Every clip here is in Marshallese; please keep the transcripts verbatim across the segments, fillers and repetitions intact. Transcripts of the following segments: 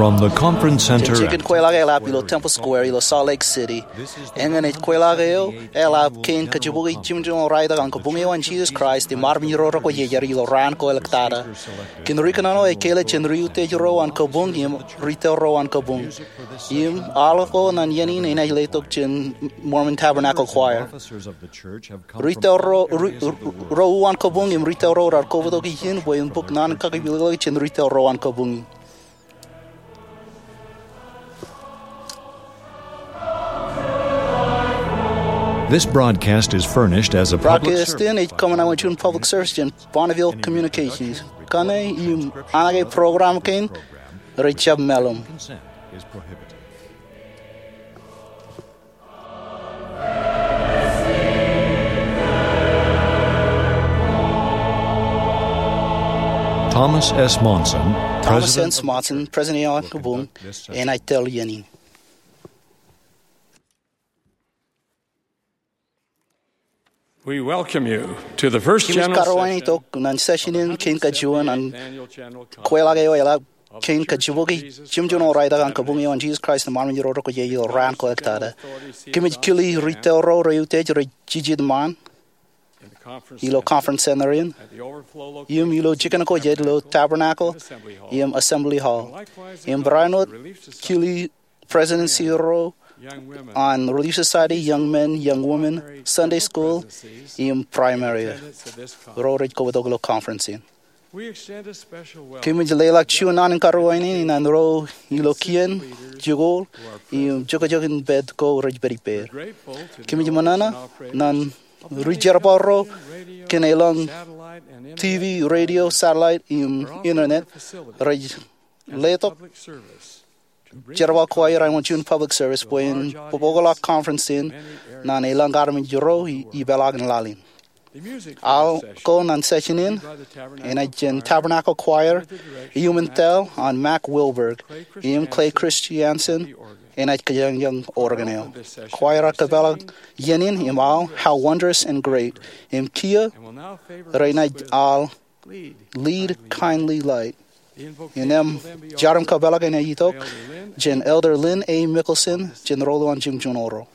From the conference center. Jen jikin kweilọk eḷap ilo Temple Square ilo Salt Lake City. Eñin ej kweilọk eo eḷap kein kajjibukwi jimjuon ro raelep an kabuñ eo an Jesus Christ im armej ro rekwojarjar ilo raan ko ḷọk tata. Kōn ri kōnono ej kele jān ri utiej ro an kabuñ im ri tōl ro an kabuñ. Im al ko ñan iien in enaaj letok jān Mormon Tabernacle Choir. Ri tōl ro, ri, ro u an kabuñ im ri tōl ro raar kobotok ijin bwe en bōk naan in kakipilōk jān ri tōl ro an kabuñ. This broadcast is furnished as a public service. Broadcast in ej kōṃṃan wōt juon public service jān Bonneville Communications. Kaṇe im anaaj program kein rej jab meḷọkḷọk. Thomas S. Monson, Thomas S. Monson, President eo an kabuñ, enaaj tōl iien in. We welcome you to the first general session. Kōmij karuwaintok ñan session in kein kajuon an kweilọk eo eḷap kein kajjibukwi jimjuon ro raelep an kabuñ eo an Jesus Christ im armej ro rekwojarjar ilo raan ko ḷọk tata. Kōmij kili ri tōl ro reutiej rej jijet ṃaan ilo conference center in im ilo jikin ko jet ilo Tabernacle im Assembly Hall. Im barāinwōt kili presidency ro an Relief Society, Young Men, Young Women, Sunday School, im Primary. Ro rej kobotok ilo conference in. Kōmij leḷọk juon naan in karuwainene ñan ro ilo kien, jikuuḷ, im jokjok in pād ko rej pād ippāer. Kōmij ṃōṇōṇō ñan ri jerbal ro kōn elōñ T V, radio, satellite, im internet rej letok jerbal ko aer āinwōt juon public service bwe en bōkḷọk conference in ñan elōñ armej ro ipeḷaakin laḷ in. Al ko ñan session in enaaj jān Tabernacle Choir, iuṃwin tōl an Mac Wilberg, im Clay Christiansen enaaj kōjañjañ organ eo. Choir eo kōpeḷḷọk iien in im al How Wondrous and Great, im kiiō renaaj al Lead, Kindly Light. Innām jar im kōpeḷḷọk enaaj itok jān Elder Lynn A. Mickelson jān Ro Ḷọk Jimjuon Oro.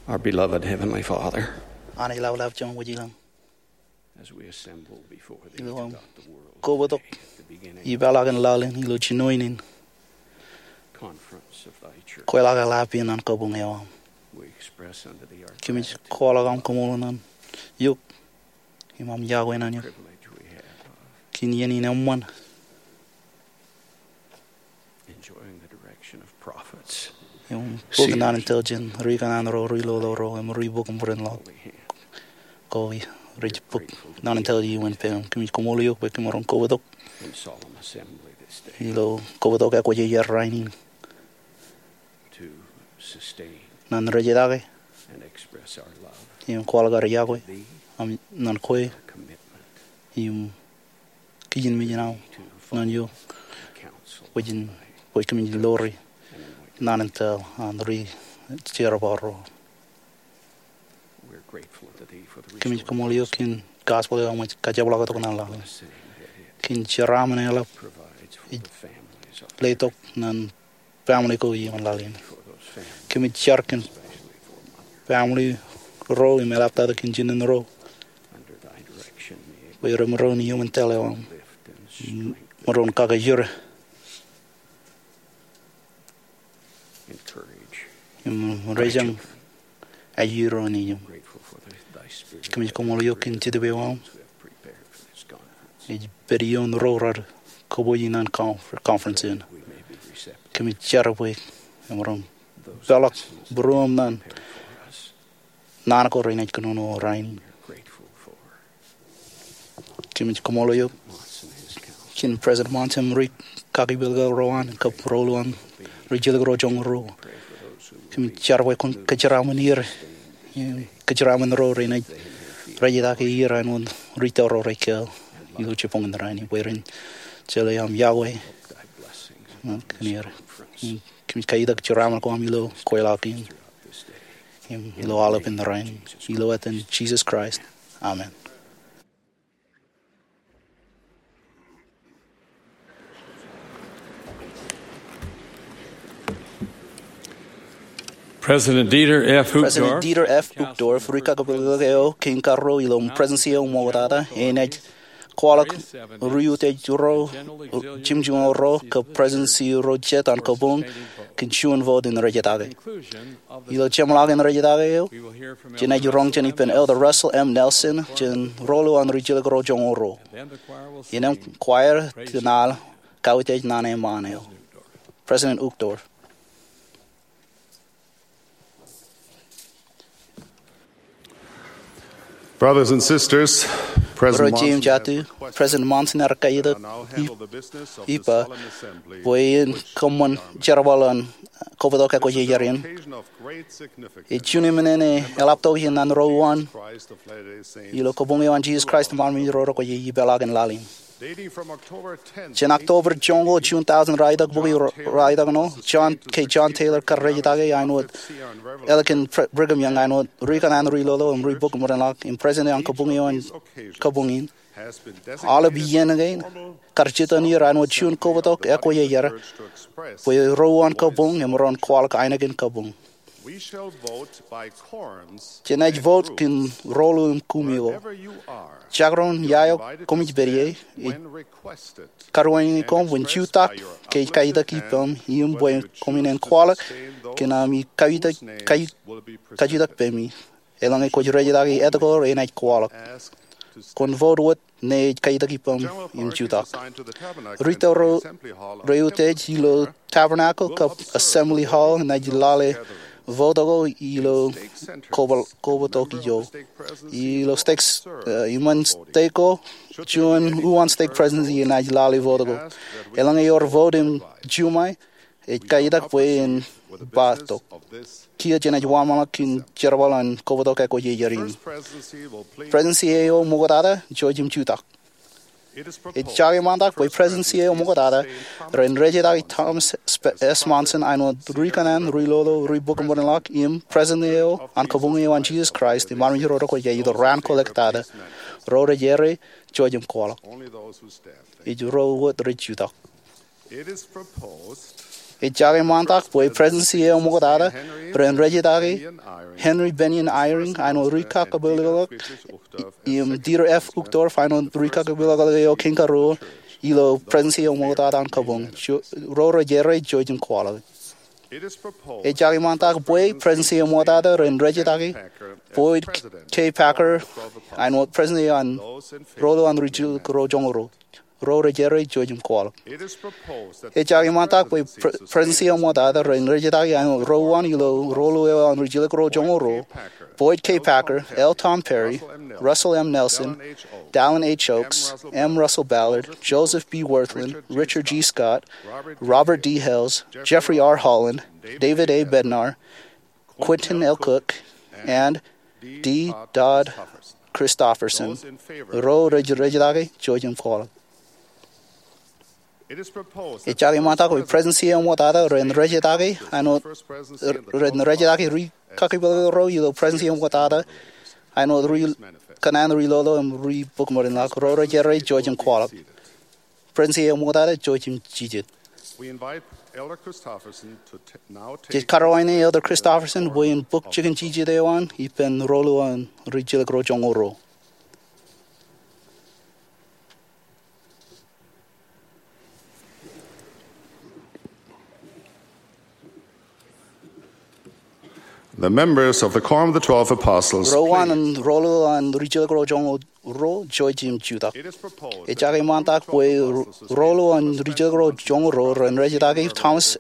Our beloved Heavenly Father, Anij Lapalap joñan wōj ilañ, as we assemble before thee to adopt the world, kobatok ipeḷaakin laḷ in ilo jinoin in conference of thy church, kweilọk eḷap in an kabuñ eo aṃ, we express unto thee our gratitude. Kōmij kwaḷọk aṃ kaṃṃoolol ñan eok im aṃ yokwe ñan eok. Privilege we have of kōn iien in eṃṃan enjoying the direction of prophets, im bōk seers, naan in tōl jān ri kōṇaan ro, ri lolo ro, im ri bōk im bōd in ḷọk. Holy hand. Ko rej bōk naan in tōl iien in peiṃ. Kōmij kaṃṃoolol eok bwe kōm maroñ kobatok in solemn assembly this day ilo kobatok ekwōjarjar rainin to sustain ñan rejetakin and express our love im kwaḷọk ad yokwe to thee, ñan kwe, commitment im kijin mejān aṃ ñan eok, bwe kōmij lori naan in tōl an ri jerbal ro. Kōmij kaṃṃoolol eok kōn gospel eo aṃ ej kajepḷaaktok ñan laḷ in. Kōn jeraaṃṃan eḷap ej letok ñan family ko iiō ñan laḷ in. Kōmij jar kōn family ro im eḷaptata kōn jinen ro bwe ren maroñ iiō ñan tōl eo aṃ, maroñ kakajoor im rejañ ajri ro in iiō. Kōmij kaṃṃoolol eok kōn Jetōb eo aṃ ej pād ioon ro rej kōpooj in an conference in. Kōmij jar bwe emaroñ peḷọk būruōm ñan naan ko renaaj kōnono rainin. Kōmij kaṃṃoolol eok kōn President Monson im ri kakipel ko ro an, kab ro ḷọk an rijjelōk ro joñoul ruo. Kōmij jar bwe kwōn kōjeraaṃṃan er, kōjeraaṃṃan ro renaaj rejetaki er āinwōt ri tōl ro rej kāāl ilo jibboñ in rainin, bwe ren jeḷā aṃ yokwe ñan er. Kōmij kaitak jeraaṃṃan ko aṃ ilo kweilọk in im ilo aolep in rainin, ilo etan Jisōs Kraist. Amen. President Dieter F. Uchtdorf, ri kakipel eo kein karuo ilo Presidency eo ṃoktata, enaaj kwaḷọk ri utiej ro, jimjuon ro kab Presidency ro jet an kabuñ kōn juon vote in rejetaki. Ilo jeṃḷọkin rejetaki eo, jenaaj roñ jān ippān Elder Russell M. Nelson jān ro ḷọk an rijjelōk ro joñoul ruo. Innām choir jen al kautiej naan eṃṃaan eo. President Uchtdorf. Brothers and sisters, President Monson, President Monson ear kaitak ippa bwe en kōṃṃan jerbal an kobatok ekwōjarjar in. Ej juon emān eḷaptata ñan ro wōt ilo kabuñ eo an Jisōs Kraist im armej ro rekwojarjar ipeḷaakin laḷ in. Jān October joñoul juon thousand, raelep bōk raelep ṇe, John K. John Taylor kar rejetaki āinwōt ālikin Brigham Young, āinwōt ri kōṇaan ri lolo im ri bōk im bōd in ḷọk im president an kabuñ eo an kabuñ in. Aolep iien kein kar jitōn er āinwōt juon kobatok ekwōjarjar bwe ro wōt an kabuñ emaroñ kwaḷọk ainikien kabuñ. Jenaaj vote kōn ro ḷọk im kumi ko. Jekdọọn ia eo koṃij pād ie, ij karuwainene koṃ bwe en jutak ke ej kaitak ippaṃ im bwe koṃ in en kwaḷọk kōn ami kajutak pemi. Eḷaññe kwōj rejetaki etke enaaj kwaḷọk, kwōn vote wōt ñe ej kaitak ippaṃ im jutak. Ri tōl ro reutiej ilo Tabernacle kab Assembly Hall enaaj lale vote ko ilo kobatok ijo. Ilo stek, eh, iṃōn stek ko, juon uwaan stek presidency enaaj lale vote ko. Eḷaññe ewōr vote im juṃae, ej kaitak bwe en ba tok. Kiiō jenaaj wōnṃaanḷọk kōn jerbal an kobatok ekwōjarjar in. Presidency eo ṃoktata ej jutak. Ej jake ṃaantak bwe Presidency eo ṃoktata ren rejetaki Thomas S. Monson āinwōt ri kōṇaan ri lolo ri bōk im bōd in ḷọk im President eo an kabuñ eo an Jisōs Kraist im armej ro rekwojarjar ilo raan ko ḷọk tata. Ro rej errā ijo im kwaḷọk. Ej ro wōt rej jutak. It is proposed Ejjake ṃaantak bwe Presidensi eo ṃoktata ren rejjitaki Henry Bennion Eyring āinwōt ri kakepelōk, im Dieter F. Uchtdorf āinwōt ri kakepelōk eo kein karuo ilo Presidensi eo ṃoktata an kabuñ, ro rej errā, ijo ej im kwaḷọk. Ejjake ṃaantak bwe Presidensi eo ṃoktata ren rejjitaki Boyd K. Packer āinwōt President eo an Rōḷḷōn Ri-Jilkinro Joñoul Ruo, ro rej errā, ijo ej im kwaḷọk. Ejjake ṃaantak bwe Presidensi eo ṃoktata ren rejjitaki āinwōt ro uwaan ilo Rōḷḷōn Ri-Jilkinro Joñoul Ruo, Boyd K. Packer, L. Tom Perry, Russell M. Nelson, Dallin H. Oaks, M. Russell Ballard, Joseph B. Wirthlin, Richard G. Scott, Robert D. Hales, Jeffrey R. Holland, David A. Bednar, Quentin L. Cook, and D. Todd Christofferson, ro rej rejjitaki, ijo ej im kwaḷọk. Ejjake ṃaantak bwe Presidensi eo ṃoktata ren rejjitaki āinwōt, ren rejjitaki ri kakepelōk ro ilo Presidensi eo ṃoktata āinwōt ri kōṇaan ri lolo im ri bok ṃōdenḷọk, ro rej errā, ijo ej im kwaḷọk. Presidensi eo ṃoktata, ijo ej im jijet. Jej karuwainene Elder Christofferson bwe en bōk jikin jijet eo an ippān Rōḷḷōn Ri-Jilkinro Joñoul Ruo. The members of the Quorum of the Twelve Apostles, ro uwaan an Rōḷḷōn Ri-Jilkinro Joñoul Ruo, ijo ej im jutak. Ejjake ṃaantak bwe Rōḷḷōn Ri-Jilkinro Joñoul Ruo ren rejjitaki Thomas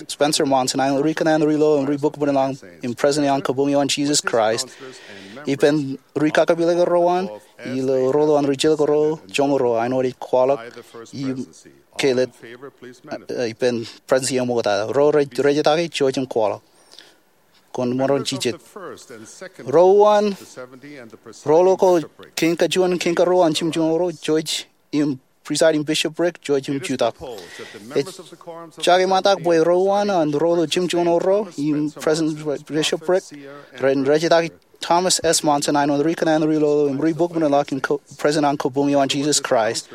Spencer Monson āinwōt ri kōṇaan ri lolo im ri bok ṃōdenḷọk im President eo an Kabuñ eo an Jesus Christ ippān ri kakepelōk ro an ilo Rōḷḷōn Ri-Jilkinro Joñoul Ruo āinwōt ej kwaḷọk im kāālōt ippān Presidensi eo ṃoktata, ro rej rejjitaki, ijo ej im kwaḷọk. Koṃ maroñ jijet. Ro uwaan, ro lolo ko kein kajuon, kein karuo an Jimjuon Oro, ijo ej im presiding bishopric, ijo ej im jutak. Ejjake ṃaantak bwe ro uwaan an ro lolo Jimjuon Oro im presiding bishopric ren rejjitaki Thomas S. Monson āinwōt ri kōṇaan ri lolo im ri bok ṃōdenḷọk im President an Kabuñ eo an Jesus Christ.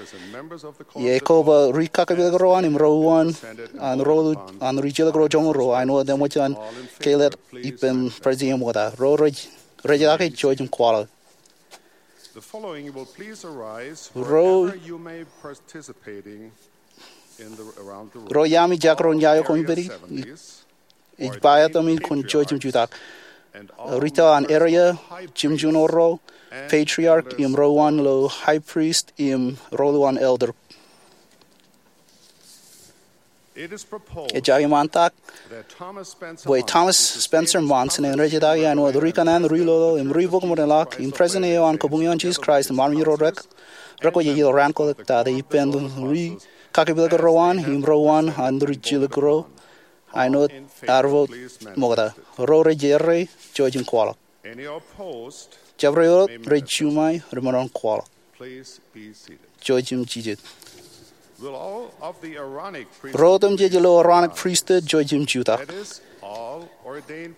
Ej koba ri kakepelōk ro an im ro uwaan an ro lolo an Ri-Jilkinro Joñoul Ruo āinwōt eṃōj an kāālōt ippān Presidensi eo ṃoktata, ro rej rejjitaki, ijo ej im kwaḷọk. Ro, ro iaami jekdọọn iaan eo koṃ pād ie, ij ba etaṃ in koṃ, ijo ej im jutak. Ri tōl an area, Jimjuon Oro, patriarch, im ro uwaan lo high priest im ro lolo an elder. Ejjake ṃaantak bwe Thomas Spencer Monson en rejjitaki āinwōt ri kōṇaan ri lolo im ri bok ṃōdenḷọk im President eo an Kabuñ eo an Jesus Christ im armej ro rekwoje ilo raan kwaḷọk tata ippān ri kakepelōk ro an im ro uwaan an Ri-Jilkinro āinwōt ad vote ṃokta, ro rej errā, ijo ej im kwaḷọk. Jabdewōt rej juṃae remaroñ kwaḷọk. Ijo ej im jijet. Ro otemjej ilo Aaronic Priesthood, ijo ej im jutak.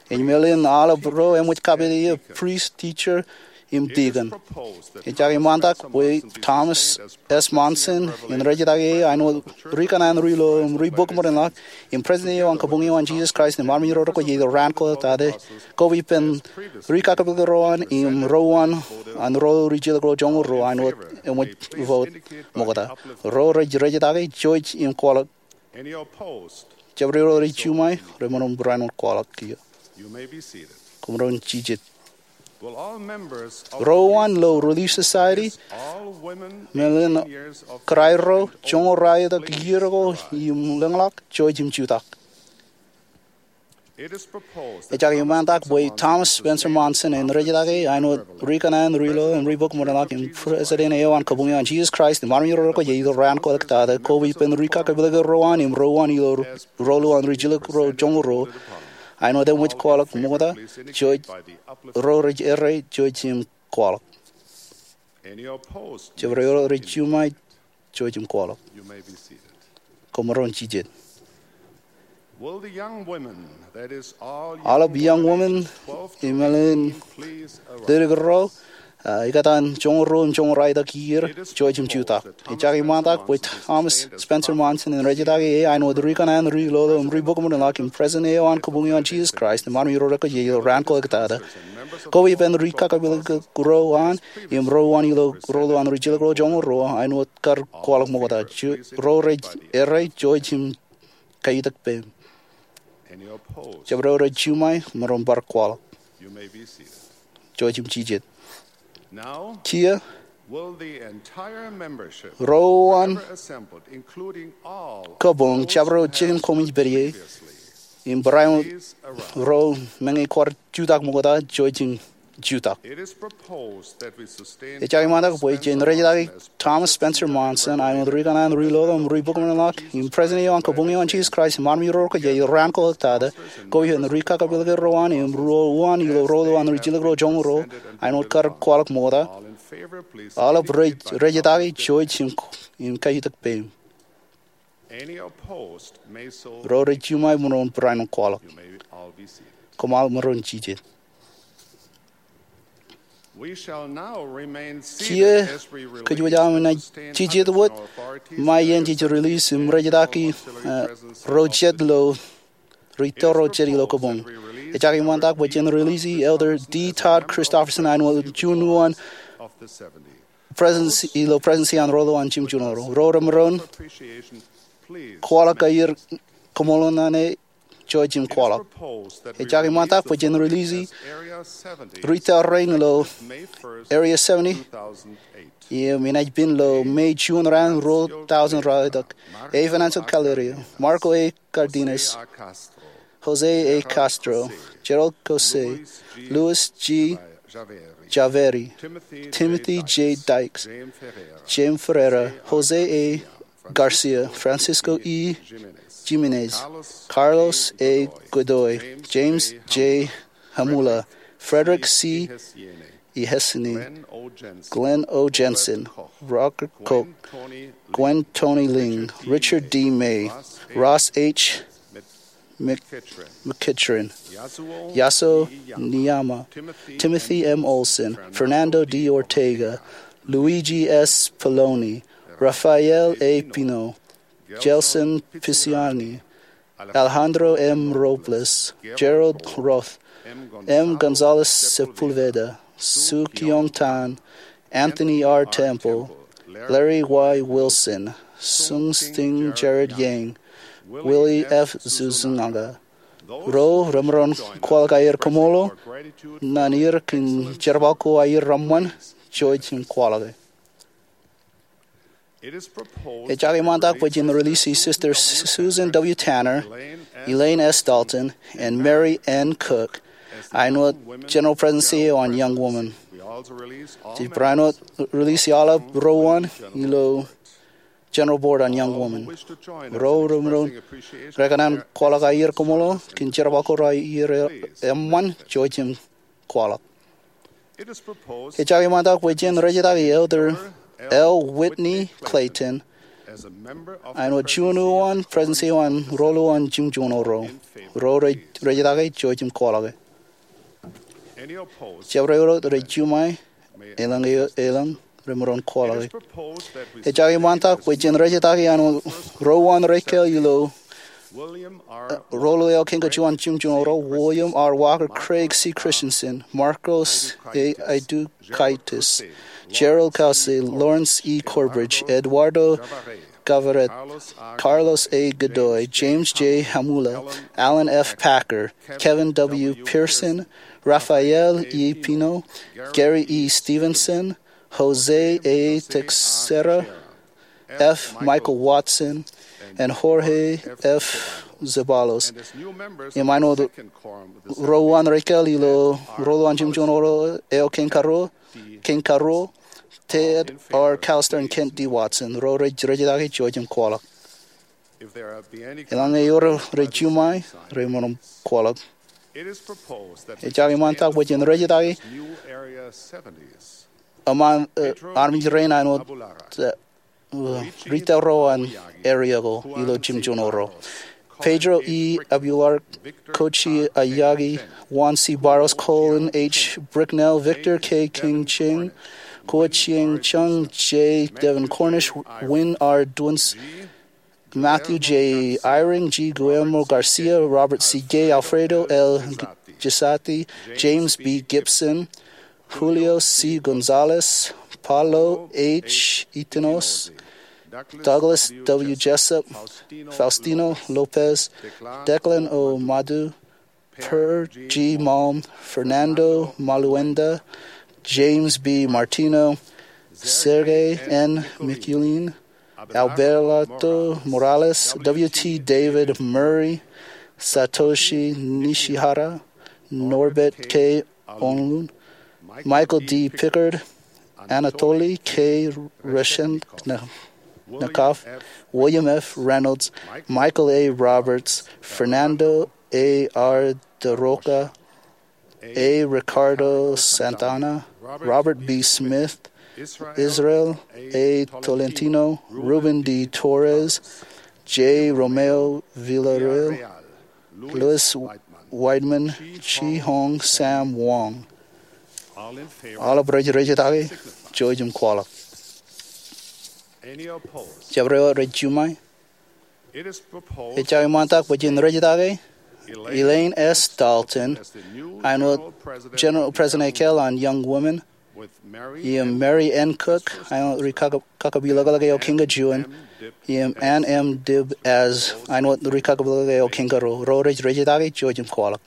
Ej meḷeḷein aolep ro eṃōj kapeḷḷọk, priest, teacher, im deacon. Ejjake ṃaantak bwe Thomas S. Monson en rejjitaki āinwōt ri kōṇaan ri lolo im ri bok ṃōdenḷọk im President eo an Kabuñ eo an Jesus Christ im armej ro rekwoje ilo raan kwaḷọk tata, koba ippān ri kakepelōk ro an im ro uwaan an ro lolo Ri-Jilkinro Joñoul Ruo āinwōt eṃōj vote ṃokta, ro rej rejjitaki, ijo ej im kwaḷọk. Jabdewōt rej juṃae remaroñ barāinwōt kwaḷọk kiiō. Koṃ maroñ jijet. Ro uwaan lo Relief Society, meḷeḷein kōrā ro joñoul ralitōk iiō ko im lōñḷọk, ijo ej im jutak. Ejjake ṃaantak bwe Thomas Spencer Monson en rejjitaki āinwōt ri kōṇaan ri lolo im ri bok ṃōdenḷọk im President eo an Kabuñ eo an Jesus Christ im armej ro rekwoje ilo raan kwaḷọk tata, koba ippān ri kakepelōk ro an im ro uwaan ilo Rōḷḷōn Ri-Jilkinro Joñoul Ruo āinwōt eṃōj kwaḷọk ṃokta, ijo ej, ro rej errā, ijo ej im kwaḷọk. Jabdewōt rej juṃae, ijo ej im kwaḷọk. Koṃ maroñ jijet. Aolep young women, im meḷeḷein ledik ro, Ikōtaan joñoul ruo im joñoul ralitōk iiō, jouj im jutak. Ejjab iṃaantak bwe Thomas Spencer Monson en rejjitōk e āinwōt ri kanaan, ri lolo im ri bōk ṃōṇōṇō ḷọk im president eo an Kabuñ eo an Jesus Christ im armej ro rekwōjarjar ilo raan ko ḷọk tata. Koba ippān ri kakapeḷḷọk ro an im ro an ilo lolo an ri jilkinḷọk joñoul ruo āinwōt kar kwaḷọk ṃokta. Ro rej errā, jouj im kaiutak peiṃ. Jabdewōt rej juṃae, maroñ bar kwaḷọk. Jouj im jijet. Kiiō, ro an kabuñ, jabdewōt jikin koṃij pād ie, im barāinwōt ro meñe kwaar jutak ṃokta, jouj im jutak. Ejjab iṃaantak bwe jen rejjitōk Thomas Spencer Monson āinwōt ri kanaan, ri lolo im ri bōk ṃōṇōṇō ḷọk im president eo an Kabuñ eo an Jesus Christ im armej ro rekwōjarjar ilo raan ko ḷọk tata. Koba ippān ri kakapeḷḷọk ro an im ro an ilo lolo an ri jilkinḷọk joñoul ruo āinwōt kar kwaḷọk ṃokta. Aolep rej rejjitōk, jouj im kaiutak peiṃ. Ro rej juṃae, maroñ barāinwōt kwaḷọk. Koṃṃool, maroñ jijet. Kiiō, kōjwōj aṃ naaj jijet wōt ṃae iien jej release im rejjitōk ro jet ilo, ri tōl ro jet ilo kabuñ. Ejjab iṃaantak bwe jen release Elder D. Todd Christofferson āinwōt juon uwaan president ilo Presidency an Ro Lowaan Jimjuon Ro. Ro remaroñ kwaḷọk aer kaṃṃoolol ñan e, jouj im kwaḷọk. Ejjab iṃaantak bwe jen release ri tōl rein ilo Area seventy im enaaj pen ilo May juon raan ruo tọujin ralitōk: A. Venancio Callerio, Marco A. Cardenas, Jose A. Castro, Gerald Caussé, Luis G. Javeri, Timothy J. Dykes, Jaime Ferreira, Jose A. Garcia, Francisco E. Jimenez, Carlos A. Godoy, James J. Hamula, Frederick C. Ihesini, Glenn O. Jensen, Roger Koch, Gwen Toni Ling, Richard D. May, Ross H. McEachran, Yasuo Niyama, Timothy M. Olson, Fernando D. Ortega, Luigi S. Pallone, Rafael A. Pino, Gelson Pisani, Alejandro M. Robles, Gerald Roth, M. Gonzalez Sepulveda, Soo Kyoung Tan, Anthony R. Temple, Larry Y. Wilson, Sung Sting Jared Yang, Willie F. Zuzunaga. Ro remaroñ kwaḷọk aer kaṃṃoolol ñan er kōn jerbal ko aer reṃṃan, jouj im kwaḷọk e. Ejjab iṃaantak bwe jen release Sister Susan W. Tanner, Elaine S. Dalton, and Mary N. Cook āinwōt General Presidency eo an Young Women. Jej barāinwōt release aolep ro an ilo General Board an Young Women. Ro remaroñ rekōṇaan kwaḷọk aer kaṃṃoolol kōn jerbal ko raar eṃṃan, jouj im kwaḷọk. Ejjab iṃaantak bwe jen rejjitōk Elder L. Whitney Clayton āinwōt juon uwaan Presidency eo an Ro Lowaan Jimjuon Ro. Ro rej rejjitōk e, jouj im kwaḷọk e. Jabdewōt rej juṃae, elōñ, elōñ remaroñ kwaḷọk e. Ejjab iṃaantak bwe jen rejjitōk e āinwōt ro uwaan rej kāāl ilo Ro Lowaan Eo Kein Kajuon Jimjuon Ro: William R. Walker, Craig C. Christensen, Marcos A. Aitoukaitis, Gerald Caussé, Lawrence E. Corbridge, Eduardo Gavarret, Carlos A. Godoy, James J. Hamula, Alan F. Packer, Kevin W. Pearson, Rafael E. Pino, Gary E. Stevenson, Jose A. Teixeira, F. Michael Watson, and Jorge F. Zeballos. Im āinwōt ro uwaan rej kāāl ilo Ro Lowaan Jimjuon Ro Eo Kein Karuo, Kein Karuo, Ted R. Callister and Kent D. Watson. Ro rej rejjitōk e, jouj im kwaḷọk. Eḷaññe ewōr rej juṃae, remaroñ kwaḷọk. Ejjab iṃaantak bwe jen rejjitōk e eṃṃan, eh, armej rein āinwōt, eh, ri tōl ro an area ko ilo Jimjuon Ro. Pedro E. Abular, Koichi Aoyagi, Juan C. Barros, Colin H. Bricknell, Victor K. King Ching, Kuo Chieng Chung, J. Devin Cornish, Win R. Duns, Matthew J. Eyring, G. Guillermo Garcia, Robert C. Gay, Alfredo L. Gisatti, James B. Gibson, Julio C. Gonzalez, Paulo H. Itinos, Douglas W. Jessup, Faustino Lopez, Declan O. Madu, Per G. Malm, Fernando Maluenda, James B. Martino, Sergey N. Mikulin, Alberto Morales, W. T. David Murray, Satoshi Nishihara, Norbert K. Onlun, Michael D. Pickard, Anatoly K. Reshetnikov, William F. Reynolds, Michael A. Roberts, Fernando A. R. DeRoca, A. Ricardo Santana, Robert B. Smith, Israel A. Tolentino, Ruben D. Torres, J. Romeo Villarreal, Louis Weidman, Chi Hong Sam Wong. Aolep rej rejetake, jouj im kwaḷọk. Jabdewōt rej juṃae. Ejjab iṃaantak bwe jen rejetake Elaine S. Dalton āinwōt General President ekāāl an Young Women, im Mary N. Cook āinwōt ri kakapeḷḷọk eo Kiñka juon, im Ann M. Dibb āinwōt ri kakapeḷḷọk eo Kiñka ruo. Ro rej rejetake, jouj im kwaḷọk.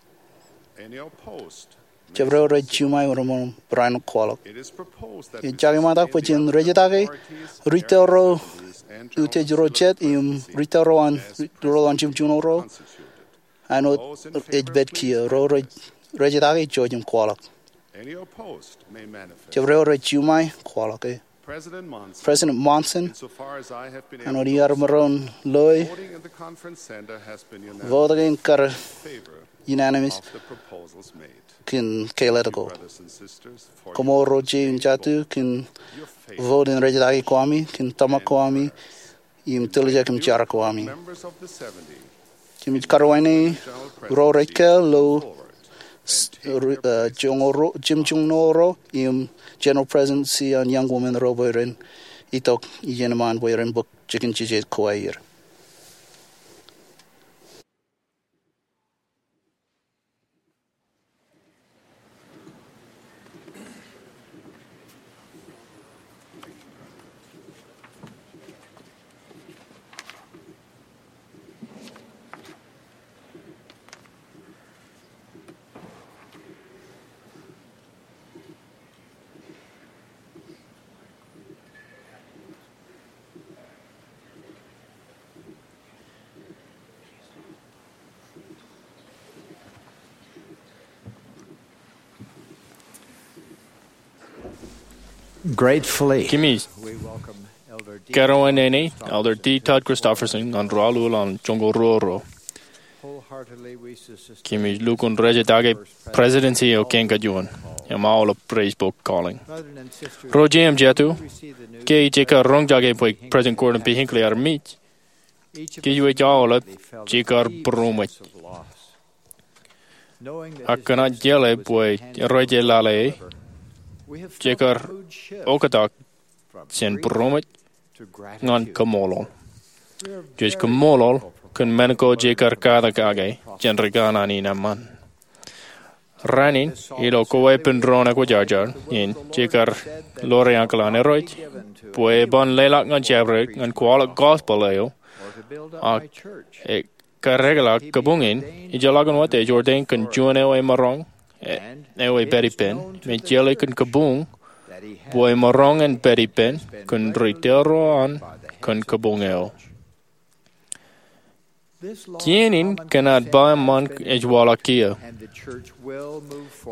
Jabdewōt rej juṃae, ro rej barāinwōt kwaḷọk. Ejjab iṃaantak bwe jen rejetake ri tōl ro utiej ro jet im ri tōl ro an, ri tōl ro an jimjuon ro āinwōt ej pād kiiō. Ro rej rejetake, jouj im kwaḷọk. Jabdewōt rej juṃae, kwaḷọk e. President Monson, āinwōt iar maroñ loe, vote kein kar unanimous kōn kāālōt ko. Koṃṃool ro jen jatū kōn vote in rejetake ko ami kōn tōmak ko ami im tiljek im jar ko ami. Jemij karuwainene ro rej kāāl ilo jimjuon ro im General Presidency an Young Women ro bwe ren itok iien eṃṃaan bwe ren bōk jikin jeje ko aer. Gratefully, kōmij karuwainene Elder D. Todd Christofferson ñan ruo aolep an joñoul ruo ro. Kōmij lukkuun rejetake Presidency eo Kiñka juon im aolep rej bōk calling. Ro jen jatū, ke ijekar roñjake bwe President Gordon B. Hinckley ear mej, kōj wōj aolep jekar būroṃōj. Ak kōn aō jeḷā bwe rej lale e, jekar oktak jān būroṃōj ñan kaṃṃoolol. Jej kaṃṃoolol kōn men ko jekar katak kake jān ri kanaan in eṃṃan. Rainin, ilo kōweepen doon ekwōjarjar in, jekar ḷoor ankilōk an Irooj bwe eban leḷọk ñan jabdewōt ñan kwaḷọk gospel eo, ak ekar eklọk kabuñ in ejjeḷọkin wōt ej ordain kōn juon eo emaroñ, eo ej pād ippān, im ejjeḷọk kōn kabuñ bwe emaroñ in pād ippān kōn ri tōl ro an kōn kabuñ eo. Kien in kōn ad ba eṃṃan ej waḷọk kiiō,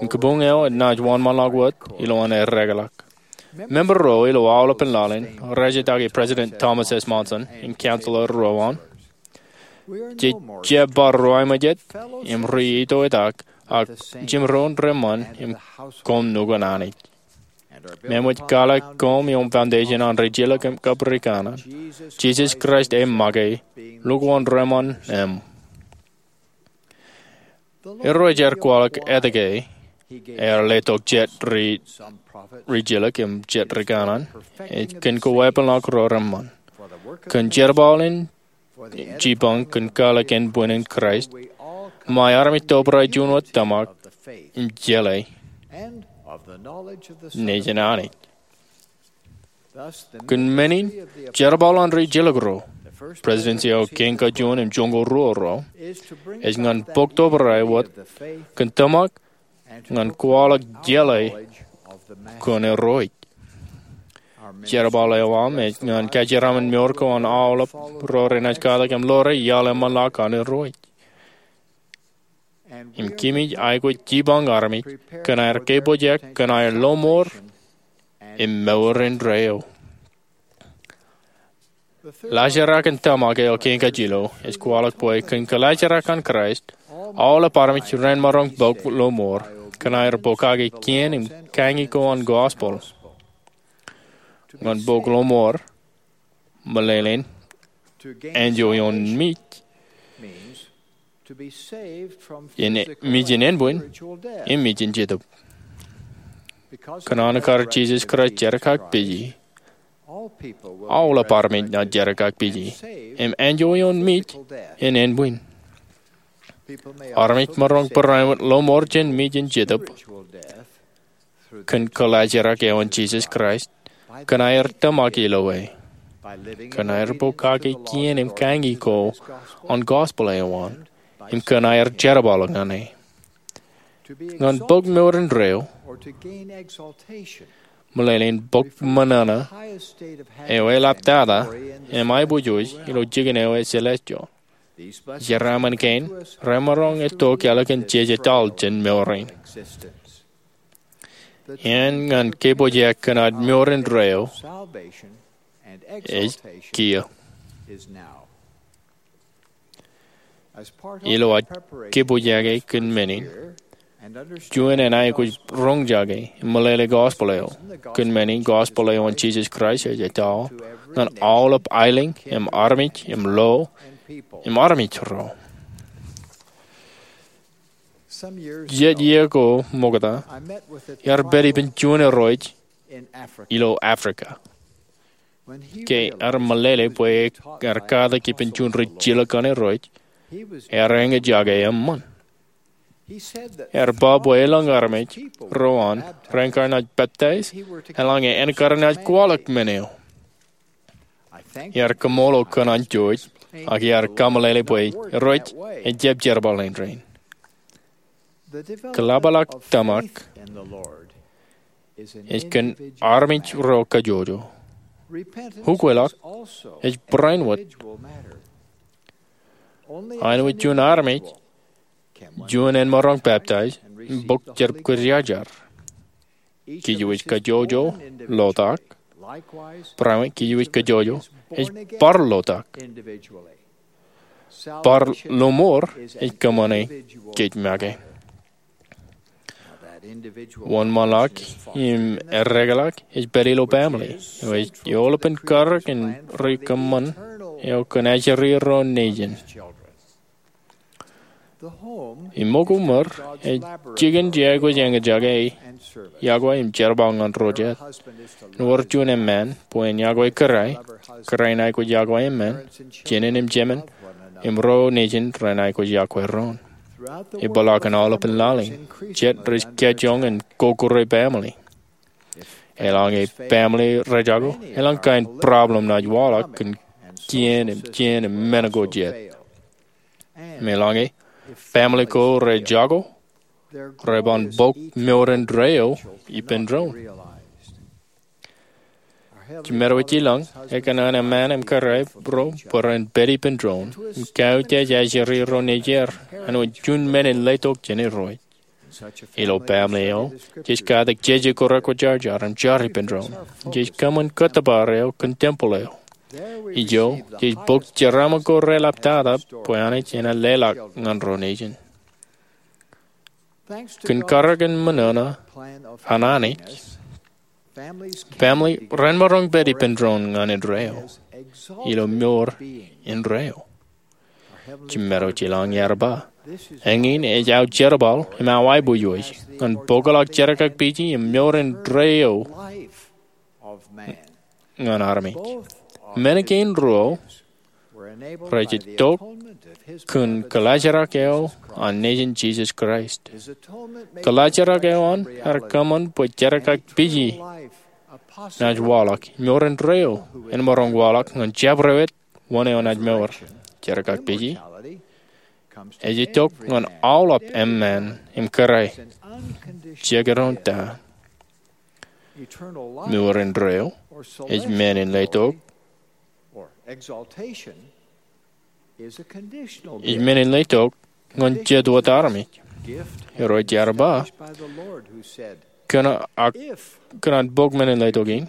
im kabuñ eo enaaj wōnṃaanḷọk wōt ilowaan eklọk. Member ro ilo aolepān laḷ in rejetake President Thomas S. Monson im counselor ro an. Jej jab bar ruwaimejet im ri-itoitak, ak jimdoon reṃṃan im koṃ nukun Anij. Im eṃōj kwaḷọk koṃ ioon foundation an rijilōk im kab rikanaan. Jisōs Kraist eṃṃake, lukkuun reṃṃan im Irooj ear kwaḷọk etke ear letok jet ri, ri jilōk im jet ri kanaan, ej kōn kowābwilōñ ro reṃṃan. Kōn jerbal in jipañ kōn kwaḷọk ānbwinnin Kraist, ṃae armej tobrai juon wōt tōmak im jeḷā nejin Anij. Kōn men in, jerbal an ri jilōk ro, Presidents eo Kein Kajuon im Joñoul Ruo ro, ej ñan bōk tobrai wōt kōn tōmak ñan kwaḷọk jeḷā kōn Irooj. Jerbal eo aṃ ej ñan kajeraṃṃan mour ko an aolep ro renaaj katak im ḷoore iaḷ eṃṃanḷọk an Irooj. Im kōmij aikuj jipañ armej kōn aer kepojak kōn aer lọmọọr im mour indeeo. Laajrak in tōmak eo kein kajjilōk ej kwaḷọk bwe kōn kōlaajrak an Kraist, aolep armej renmaroñ bōk lọmọọr kōn aer bōkake kien im kañi ko an gospel. Ñan bōk lọmọọr, meḷeḷein, enjoy ioon mej, in, mejin ānbwin, im mejin jetōb. Kōn an kar Jisōs Kraist jerkakpeje, aolep armej naaj jerkakpeje, im enjoy ioon mej in ānbwin. Armej maroñ barāinwōt lọmọọr jān mejin jetōb kōn kōlaajrak eo an Jisōs Kraist, kōn aer tōmak ilo e, kōn aer bōkake kien im kañi ko an gospel eo an, im kōn aer jerbal ñan e. Ñan bōk mour indeeo, meḷeḷein bōk ṃōṇōṇō eo eḷaptata im aiboojoj ilo jikin eo ej celestial. Jeraaṃṃan kein remaroñ itok ālikin jeje taḷ jān mour in. Āne ñan kepojak kōn aō mour indeeo ej kiiō. Ilo aō kepojake kōn men in, juon en aikuj roñjake im meḷeḷe gospel eo. Kōn men in, gospel eo an Jisōs Kraist ej etaō ñan aolep aelōñ im armej im lo im armej ro. Jet iiō ko ṃokta, iar pād ippān juon irooj ilo Africa. Ke ear meḷeḷe bwe ear katak ippān juon ri jilōk an Irooj, ear eñjake eṃṃan. Ear ba bwe elōñ armej ro an raar kar naaj peptaij, eḷaññe en kar naaj kwaḷọk men eo. Iar kaṃṃoolol kōn an George, ak iar kameḷeḷe bwe Irooj ejjab jerbal in rein. Kōḷapḷọk tōmak ej kōn armej ro kajjojo. Ukweḷọk ej barāinwōt. Āinwōt juon armej, juon en maroñ peptaij im bōk jar kwōjarjar. Kōjwōj kajjojo lotak. Barāinwōt kōjwōj kajjojo ej bar lotak. Bar lọmọọr ej kōṃṃane kōj make. Wōnṃaanḷọk im eddekḷọk ej pād ilo baaṃle eo ej eolepen karōk in ri kōṃṃan eo kōn ajri ro nejin. Im ṃōko ṃōr ej jikin je aikuj eñjake yokwe im jerbal ñan ro jet. Ewōr juon eṃṃaan bwe en yokwe kōrā, kōrā en aikuj yokwe eṃṃaan, jenin im jemān, im ro nejin ren aikuj yokwe doon. Epeḷḷọk in aolepān laḷ in, jet rej kajjioñ in kokure baaṃle. Eḷaññe baaṃle rejako, elōñ kain problem naaj waḷọk kōn kien im kien im men ko jet. Im eḷaññe baaṃle ko rejako, reban bōk mour indeeo ippān doon. Jemedwōj ilōñ ekōṇaan eṃṃaan im kōrā ro bwe ren pād ippān doon im kautiej ajri ro nejier āinwōt juon men in letok jān Irooj. Ilo baaṃle eo, jej katak jeje ko rekwōjarjar im jar ippān doon. Jej kōṃṃan kōttōpar eo kōn tempeḷ eo. Ijo, jej bōk jeraaṃṃan ko reḷaptata bwe Anij enaaj leḷọk ñan ro nejin. Kōn karōk in ṃōṇōṇō an Anij, baaṃle ren maroñ pād ippān doon ñan indeeo ilo mour indeeo. Jemedwōj ilōñ ear ba, Eñin ej aō jerbal im aō aiboojoj ñan bōkḷọk jerkakpeje im mour indeeo ñan armej. Men kein ruo rej itok kōn kōḷaajrak eo an Nejin Jisōs Kraist. Kōḷaajrak eo an ear kōṃṃan bwe jerkakpeje naaj waḷọk, mour indeeo en maroñ waḷọk ñan jabdewōt wōn eo naaj mour. Jerkakpeje ej itok ñan aolep eṃṃan im kōrā, jekdọọn ta. Mour indeeo ej men in letok. Ej men in letok ñan jet wōt armej. Irooj ear ba, kōn ak kōn an bōk men in letok in,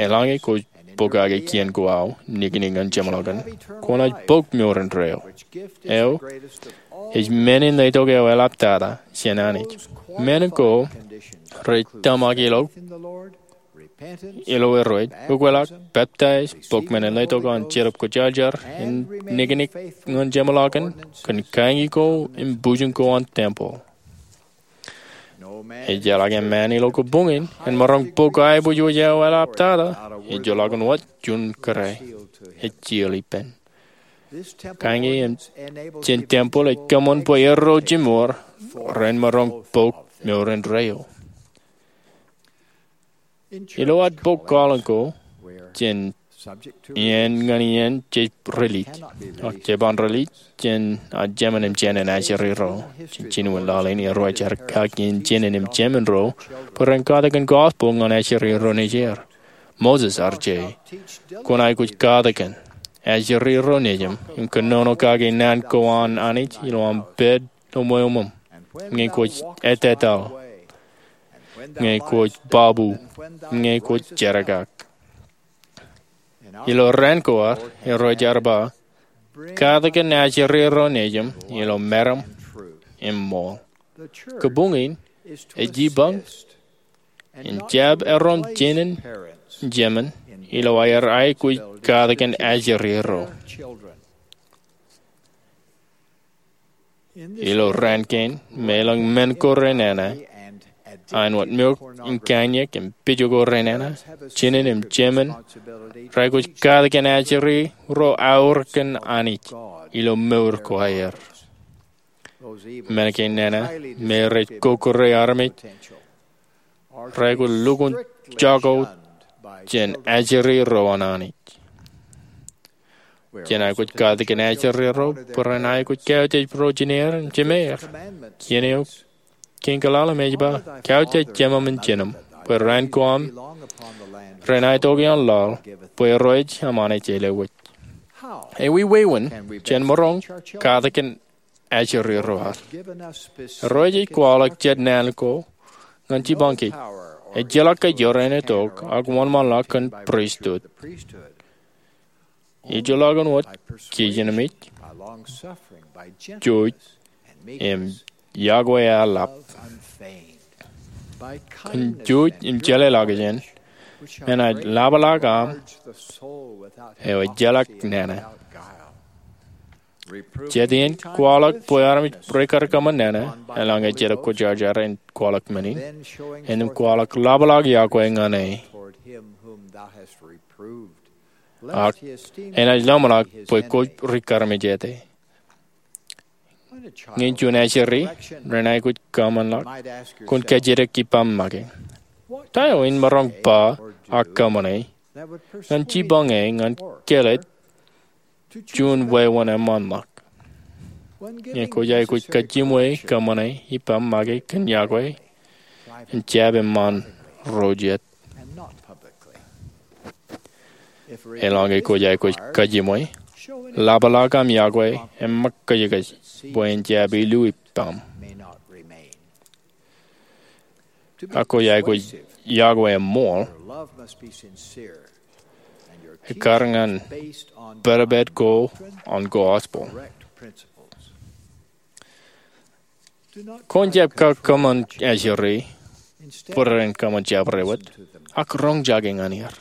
eḷaññe kwōj bōk kake kien ko aō im niknik ñan jeṃḷọkin, kwōnaaj bōk mour indeeo. Eo ej men in letok eo eḷaptata jān Anij. Men ko rej tōmak ilo ilo Irooj, ukōtḷọk, peptaij, bōk men in letok an Jetōb Kwōjarjar, im niknik ñan jeṃḷọkin, kōn kañi ko im bujen ko an tempel. Ejjeḷọk eṃṃan ilo kabuñ in en maroñ bōk aiboojoj eo eḷaptata ejjeḷọkin wōt juon kōrā ej jilōk ippān. Kañi jān tempel ej kōṃṃan bwe erro jimour ren maroñ bōk mour indeeo. Ilo ad bōk kwaḷọk ko jān iien ñan iien, jej rilij. Ak jeban rilij jān ad jemān im jān ajri ro. Jān jinen laḷ in, Irooj ear kaki jān jinen im jemān ro bwe ren katakin gospel ñan ajri ro nejier. Moses ear je, kwōn aikuj katakin ajri ro nejūṃ im kōnono kake naan ko an Anij ilo aṃ pād ilo ṃweo ṃōṃ, ñe kwōj ettetaḷ, ñe kwōj babu, ñe kwōj jerkak. Ilo raan ko ad, Irooj ear ba, katakin ajri ro nejūṃ ilo meram im ṃool. Kabuñ in ej jipañ im jab erom jinen jemān ilo aer aikuj katakin ajri ro. Ilo raan kein, im elōñ men ko renana, āinwōt mour in kaiññā im pijo ko renana, jinen im jemān reaikuj katakin ajri ro aorōk kōn Anij ilo mour ko aer. Men kein nana, im rej kokkure armej, reaikuj lukkuun jako jān ajri ro an Anij. Jen aikuj katakin ajri ro bwe ren aikuj kautiej ro jineer im jemeer. Iien eo kein kwaḷọk im ej ba, kautiej jemām im jinām bwe raan ko aṃ ren aetoke ioon laḷ, bwe Irooj aṃ Anij ej lewōj. Ewi wāween jen maroñ katakin ajri ro ad? Irooj ej kwaḷọk jet naan ko ñan jipañ kōj. Ejjeḷọk kōj ioon itok ak wōnṃaanḷọk kōn pristut. Ejjeḷọkin wōt kijenmej, jouj, im yokwe eḷap. Kōn jouj im jeḷāḷọkjeṇ, enaaj ḷapḷọk aṃ eo ejjeḷọk nana. Jet iien kwaḷọk bwe armej rikkar kōṃṃan nana, eḷaññe Jetōb Kwōjarjar en kwaḷọk men in, āinwōt kwaḷọk ḷapḷọk yokwe ñan e. Ak enaaj lọmọḷọk bwe kwōj rikkar im jete. Ñe juon ajri ren aikuj kōṃṃanḷọk, kwōn kajjitōk ippaṃ make, ta eo in maroñ ba ak kōṃṃane ñan jipañ e ñan kāālōt juon wāween eṃṃanḷọk? Ñe kwōj aikuj kajiṃwe kōṃṃane ippaṃ make kōn yokwe, en jab eṃṃan ro jet. Eḷaññe kwōj aikuj kajiṃwe, ḷapḷọk aṃ yokwe im ṃōk kōjkōj bwe en jab ilu ippaṃ. Ak kwōj aikuj yokwe eṃṃool, ekkar ñan pedped ko an gospel. Kwōn jab kakōṃṃan ajri bwe ren kōṃṃan jabdewōt, ak roñjake ñan er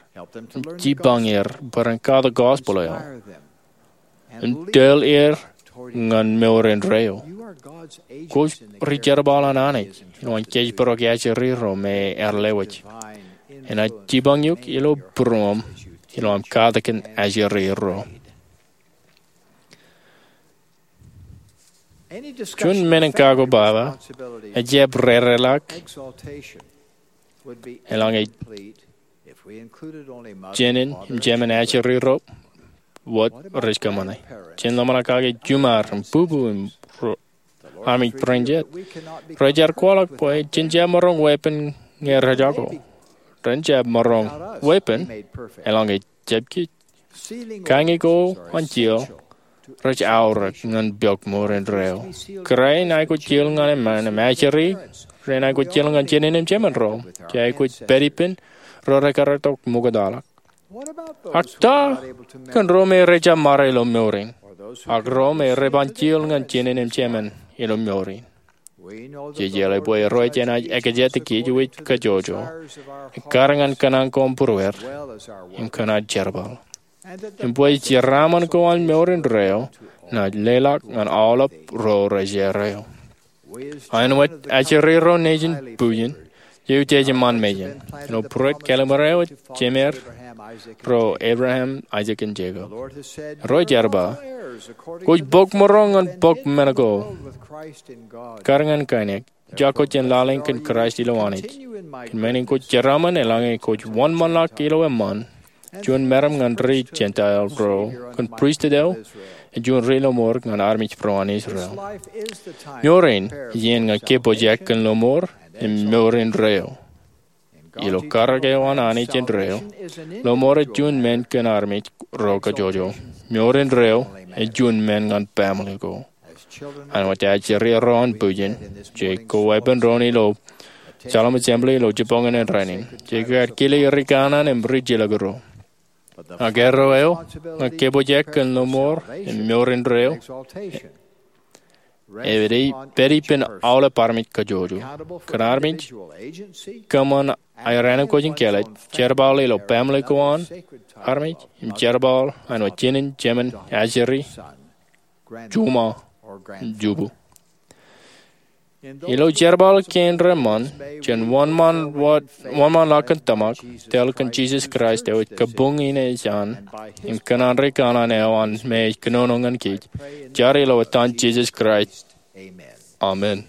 im jipañ er bwe ren katak gospel eo im tōl er ñan mour indeeo. Kwōj ri jerbal an Anij ilo an kōjparok ajri ro me ear lewōj. Enaaj jipañ eok ilo būruōṃ ilo aṃ katakin ajri ro. Juon men in kakobaba ejjab rereḷọk eḷaññe jenin im jemen ajri ro wōt rej kōṃṃane. Jen ḷōmṇak kake juṃaar im bubu im ro- armej bwidej. Rej ar kwaḷọk bwe jen jab maroñ weeppān ñe rejako. Ren jab maroñ weeppān eḷaññe jab kij. Kaññe ko an jiel rej aorōk ñan pok mour indeeo. Kōrā in aikuj jiel ñan eṃṃan im ajri rein aikuj jiel ñan jenin im jemen ro. Jej aikuj pād ippān ro rekar itok ṃoktaḷọk. Ak ta kōn ro me rej jab ṃare ilo mour in, ak ro me re ban jiel ñan jenin im jemen ilo mour in? Jej jeḷā bwe Irooj enaaj ekjete kōj wōj kajjojo, ekkar ñan kōṇaan ko im būrueir, im kōn ad jerbal. Im bwe jeraaṃṃan ko an mour indeeo enaaj leḷọk ñan aolep ro rej erreo. Āinwōt ajri ro nejin bujen, jej utiej iṃaan mejān ilo būruod kallim̧ur eo jemeir ro Abraham, Aisak im Jekob. Irooj ear ba, kwōj pok mour eo ñan pok men ko, kar ñan kainek, jako jān lale in kōn Kraist ilo Anij. Kōn men in kwōj jeraaṃṃan eḷaññe kwōj wōnṃaanḷọk ilo eṃṃaan juon meram ñan ri Jentael ro kōn pristut eo, im juon ri lọmọọr ñan armej ro an Israel. Mour in iien ñan kōpooj kōn lọmọọr im mour indeeo. Ilo karōk eo an Anij indeeo, lọmọọr ej juon men kōn armej ro kajjojo. Mour indeeo ej juon men ñan baaṃle ko. Āinwōt ajri ro an bujen, jej koweeppān doon ilo Salem Assembly ilo jibboñōn in rainin. Jej kar kile ri kanaan im ri jilkinro. Ak erreo eo ñan kōpooj kōn lọmọọr im mour indeeo ej pād ippān aolep armej kajjojo. Kōn armej kōṃṃan aer ankooj in kāālōt, jerbal ilo baaṃle ko an armej, im jerbal āinwōt jenin, jemen, ajri, juṃae, jubu. Ilo jerbal kein reṃṃan, jen wōnṃaanḷọk kōn tōmak, tōl kōn Jisōs Kraist eo ej kabuñ in ej an, im kōṇaan ri kanaan eo an me ej kōnono ñan kōj. Ij jar ilo etan Jisōs Kraist. Amen.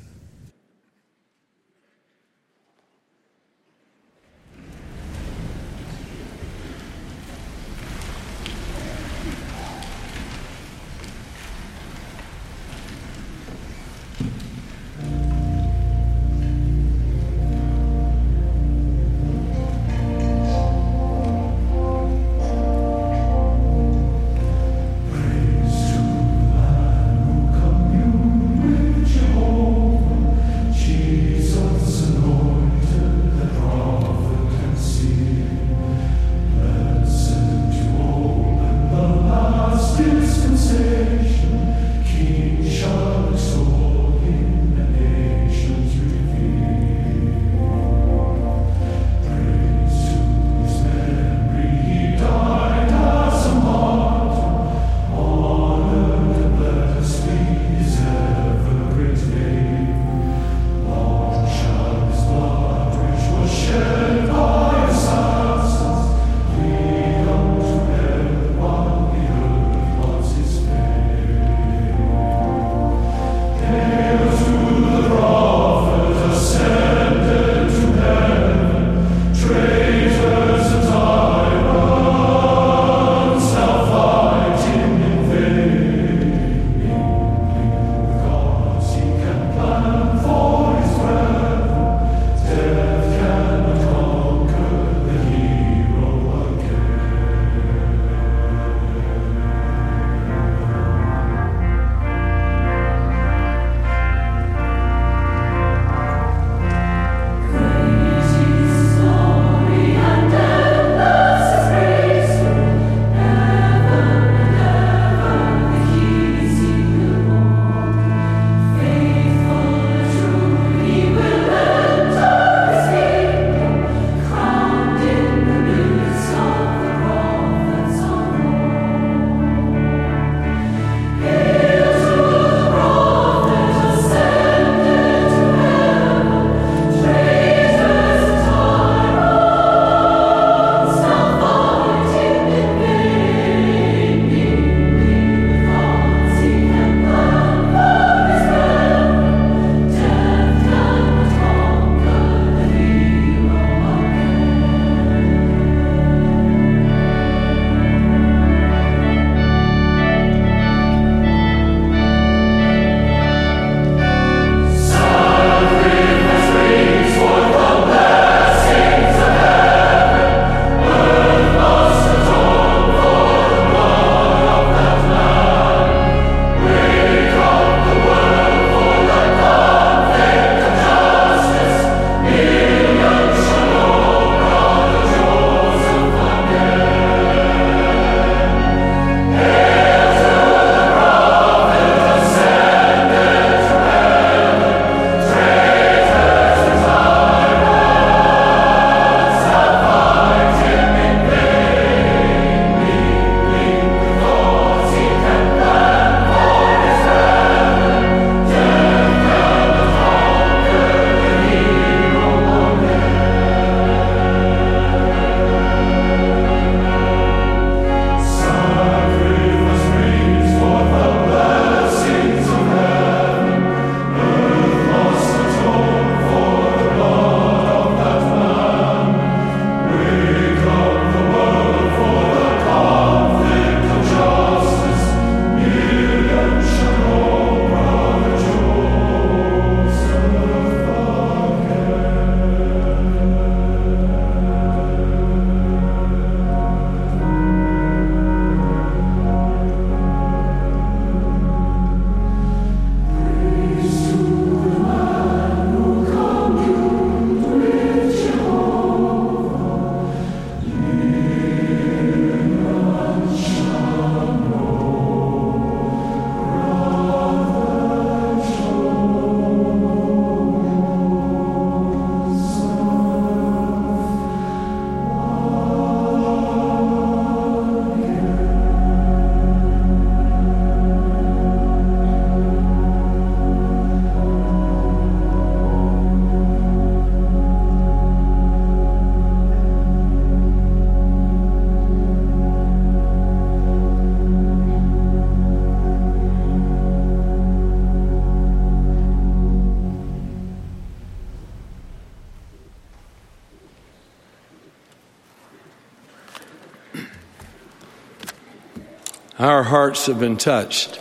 Our hearts have been touched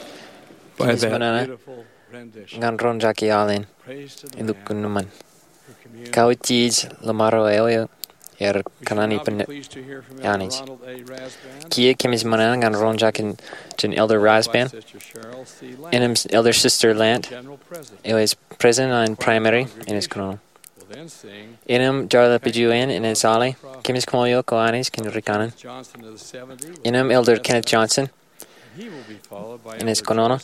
by Kōmij that mōṇōṇō beautiful rendition. Ñan roñjake aolep in. Praise to the Lamb. Lukkuun ṃōṃan. Kawōj ilo ṃaro eo er kōṇaan ippān Anij. Kiiō kōmij ṃōṇōṇō ñan roñjake jān Elder Rasband, innām Elder Sister Lant, eo ej president an Primary in ej kōnono. Innām Jarlip Juon in ej ale, kōmij kaṃṃoolol eok Anij kōn rikōṇaan. Innām Elder Kenneth Johnson in ej kōnono.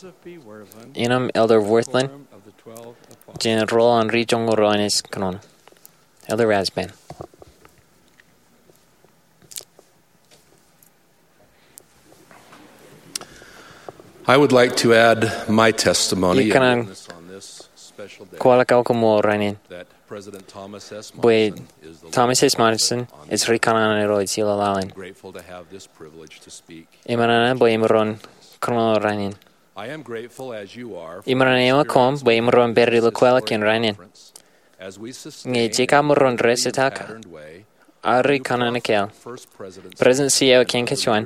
Innām Elder Wirthlin jān rool an Ri Joñoul Ruo in ej kōnono. Elder Rasband. I would like to add my testimony and witness on this special day. Kwōj kwaḷọk aō koṃṃool rainin. Bwe Thomas S. Monson ej ri kōṇaan eo ilo laḷ in. Iṃōṇōṇō bwe imaroñ kōnono rainin. Imaroñ eo koṃ bwe imaroñ pād ilo kweilọk in rainin. Ñe jej kab maroñ rejjetak ad ri kōṇaan ekāāl, prestuhn eo kein kōn juon,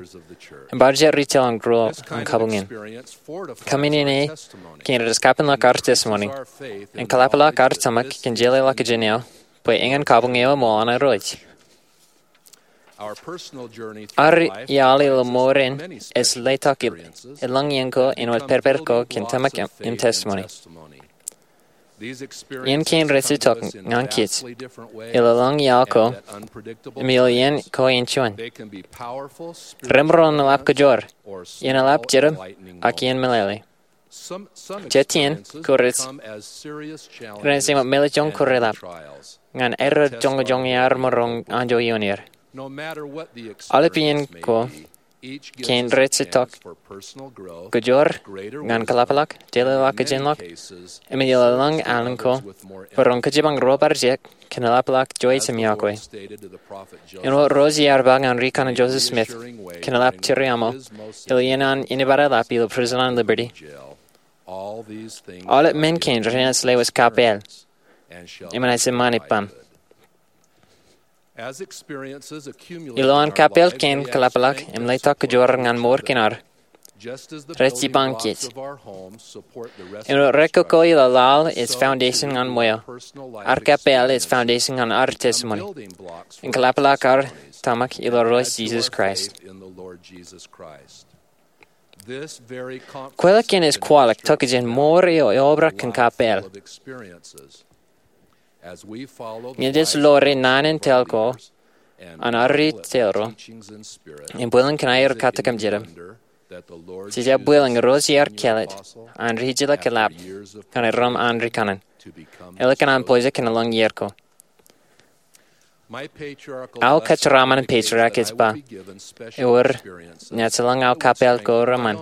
im bar jet ri tōl an ruo an kabuñ in. Kōmij āinwōt kein rej kapenḷọk ad testimony im kōḷapḷọk ad tōmak kōn jeḷāḷọkjeṇ eo bwe eñin kabuñ eo eṃool an Irooj. Ad iaḷ ilo mour in ej letok eḷaññe ko āinwōt pād pād ko kōn tōmak im testimony. Iien kein rej itok ñan kōj ilo laḷ iaḷ ko im ilo iien ko in juon. Remaroñ in eḷap kōjoor, iien eḷap jeram, ak iien meḷeḷe. Jet iien ko rej ren ej ṃōk meḷeḷe joñan ko reḷap ñan aer joñojoñi ad maroñ anjọ ioon er. Aolep iien ko kein rej itok kōjoor ñan kōḷapḷọk, jeḷāḷọkjeṇ ḷọk, im ilo laḷ alen ko, bwe ren kōjebañ ro bar jek kōn eḷapḷọk juon im iọkwe. Āinwōt ro ej ba ñan ri kōṇaan Joseph Smith kōn eḷap tiriaṃo ilo iien an inepata eḷap ilo Prison on Liberty, aolep men kein renaaj lewōj kappāl, im enaaj eṃṃan ippaṃ. Ilo an kappāl kein kōḷapḷọk im letok kōjoor ñan mour kein ad, rej jipañ kōj. Āinwōt rekkoko ilo laḷ ej foundation ñan ṃweo, ad kappāl ej foundation ñan ad testimony im kōḷapḷọk ad tōmak ilo Irooj Jisōs Kraist. Kweilọk kein ej kwaḷọk tokjān mour eo eobrak kōn kappāl. Ñe jej ḷoore naan in tōl ko an ad ri tōl ro im bwilōñ kōn aer katak im jeram, jej aō bwilōñ Irooj ear kāālōt an ri jilkinḷọk eḷap ñan erom an ri kōṇaan, ālikin an pojak kōn laḷ iiō ko. Aō kōjeraaṃṃan patriarch ej ba, ewōr, ña ij lōñ aō kappāl ko reṃṃan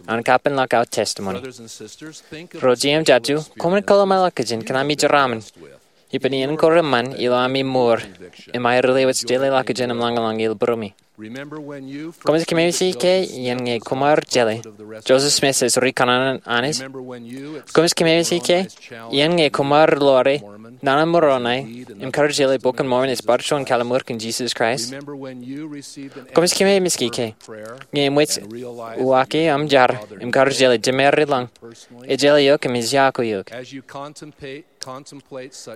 an kapenḷọk aō testimony. Ro jet im jatū, koṃwin kōḷmānḷọkjeṇ kōn ami jeraaṃṃan ippān iien ko reṃṃan ilo ami mour im aer lewōj jeḷāḷọkjeṇ im lañlōñ ilo būruemi. Koṃij kōmemej ke iien ñe koṃ ar jeḷā Joseph Smith ej ri kōṇaan an Anij? Koṃij kōmemej ke iien ñe koṃ ar ḷoore naan in Moroni im kar jeḷā Bok in Mormon ej bar juon kōḷmānḷọkjeṇ kōn Jisōs Kraist? Koṃij kōmemej ke iien ñe eṃōj uwaake aṃ jar im kar jeḷā Jemāri lañ ej jeḷā eok im ej iọkwe eok?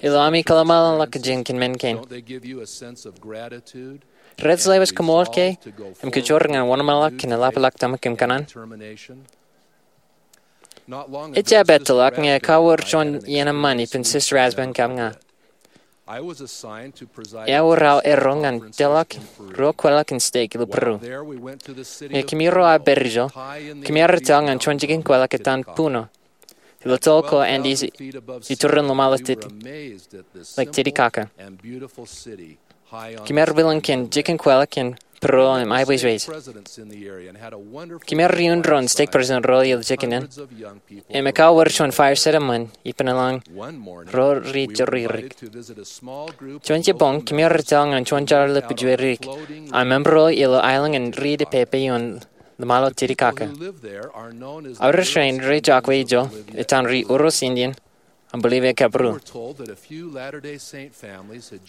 Ilo ami kōḷmānḷọkjeṇ kōn men kein, rej lewōj koṃṃool ke im kōjoor ñan wōnṃaanḷọk kōn eḷapḷọk tōmak im kōṇaan? Ejjab ettoḷọk ñe ekar wōr juon iien eṃṃan ippān Sister Rasband kab ña. Ewōr aō erro ñan tōḷọk ruo kweilọk in stake ilo Peru. Ñe kōmij ruo aō pād ijo, kōmij rūtto ñan juon jikin kweilọk etan Puno ilo toḷ ko Andes iturin ḷōṃaro Titi-, Lake Titicaca. Kōmij bwilōñ kōn jikin kweilọk in Peru im aebwijbwij. Kōmij iuun doon stake president ro ilo jikin in im ekar wōr juon fireside eṃṃan ippān eḷaññe ro ri joririk. Juon jibboñ kōmij tōl ñan juon jar ḷōpijwe rik aō member ro ilo aelōñ in ri Pohnpei ioon ḷōṃaro Titicaca. Aorōk rein rej iọkwe ijo etan ri Uros Indian Unbelief e kab ru.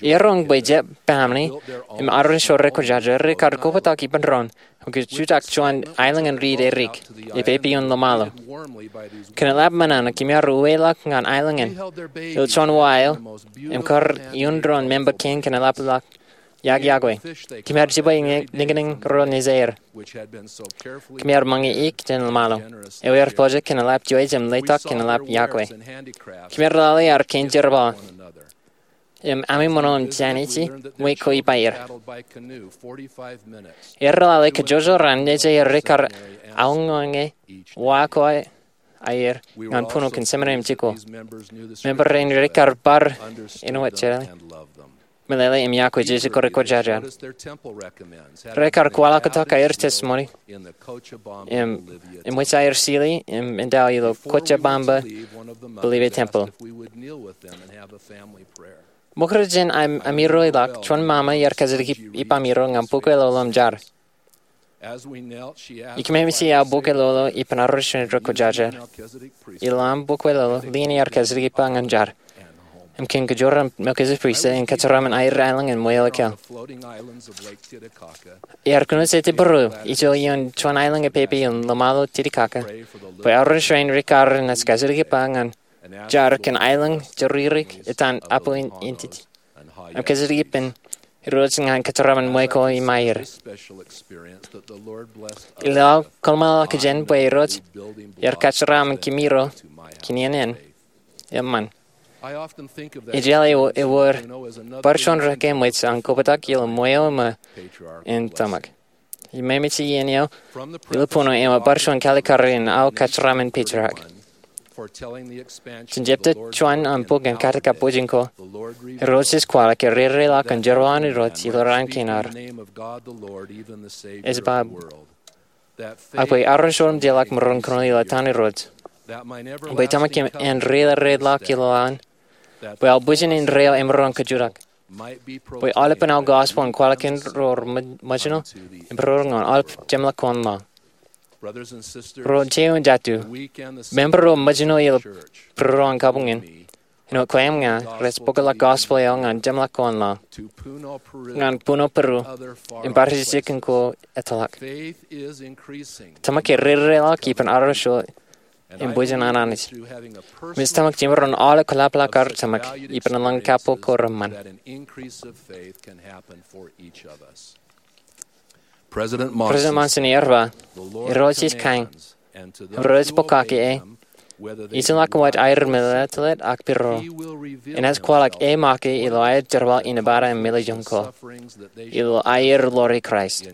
Eroñ bwe jet pāmni im arro ro rekwōjarjar rekar kobtak ippān doon im kajjitōk juon aelōñ in riit erik, epeipein ḷōṃaro. Kōn eḷap men eo kōm ar uweḷọk ñan aelōñ in, ilo juon wa eo, im kar iuun doon member kein kōn eḷapḷọk iọkiọkwe. Kōm ar jibwe ñe-, niñniñ ro nejaer. Kōm ar ṃōñā ik jān ḷōṃaro. Ewōr project kōn eḷap juon im letok kōn eḷap iọkwe. Kōm ar lale ad kein jerbal. Im ami ṃōṇōṇō jān ije, ṃweiuk ko ippāer. Aer lale kajjojo raan nejaer rekar aoñoñe wa ko aer ñan buñū kōn seminary im jikuuḷ. Member rein rekar bar āinwōt jeḷā, meḷeḷe im iọkwe Jisōs ko rekwōjarjar. Rekar kwaḷọk tok aer testimony im, im ṃōj aer sili im endao ilo Cochabamba, Bolivia temple. Ṃokta jān am-, amiro ḷọk, juon ṃaṃa iar kajjitōk ip-, ippaṃiro ñan bukwe ḷoḷo im jar. Ikōṃṃan eo bukwe ḷoḷo ippān arro rein rekwōjarjar. Ilo aṃ bukwe ḷoḷo, lien iar kajjitōk ippa ñan jar. Im kōn kōjro Melchizedek Priesthood in kōjeraaṃṃan aer aelōñ in ṃweo ikōḷ. Iar kōnooj Jetebōro, ijo ioon juon aelōñ epeipein ḷōṃaro Titicaca, bwe arro rein rekar naaj kajjitōk ippa ñan jar kōn aelōñ joririk etan apu in, in titi. Im kajjitōk ippān Irooj ñan kōjeraaṃṃan ṃweo ko ippāer. Ilo aō kōḷmānḷọkjeṇ bwe Irooj iar kōjeraaṃṃan kōmro kōn iien in, eṃṃan. Ij jeḷā ewōr bar juon rūkaki ṃweiuk an kobtak ilo ṃweo ṃōk in tōmak. Im ej iien eo ilo buñū eo bar juon kalikari in aō kōjeraaṃṃan patriarch. Jān jepta juon an bok in katak kab bwijin ko, Irooj ej kwaḷọk ke rereḷọk an jerbal an Irooj ilo raan kein ad. Ej ba, ak bwe arro ro im jeorḷọk maroñ kōnono ilo etan Irooj, bwe tōmak in rereḷọk ilo an, bwe aō bwijin indeeo emaroñ kajjitōk, bwe aolepān aō gospel en kwaḷọk kōn ro rej ṃōjṇo im ro rej ñan aolep jeṃḷọk ko an laḷ. Ro jeiū im jatū, member ro ṃōjṇo ilo būruon kabuñ in, āinwōt kwe im ña, rej bōkḷọk gospel eo ñan jeṃḷọk ko an laḷ, ñan buñū Peru, im bar jikin ko ettoḷọk. Tōmak ke rereḷọk ippān arro ro im bwijin an Anij. Im ej tōmak jemaroñ aolep kōḷapḷọk ad tōmak ippān eḷaññe kappok ko reṃṃan. President Monson ear ba, Irooj ej kain, im ro rej bōk kake e, ejjeḷọk wōt aer meḷeḷe ak pidodo, enaaj kwaḷọk e make ilo aer jerbal in Nevada im Melejoñ ko, ilo aer ḷoori Kraist.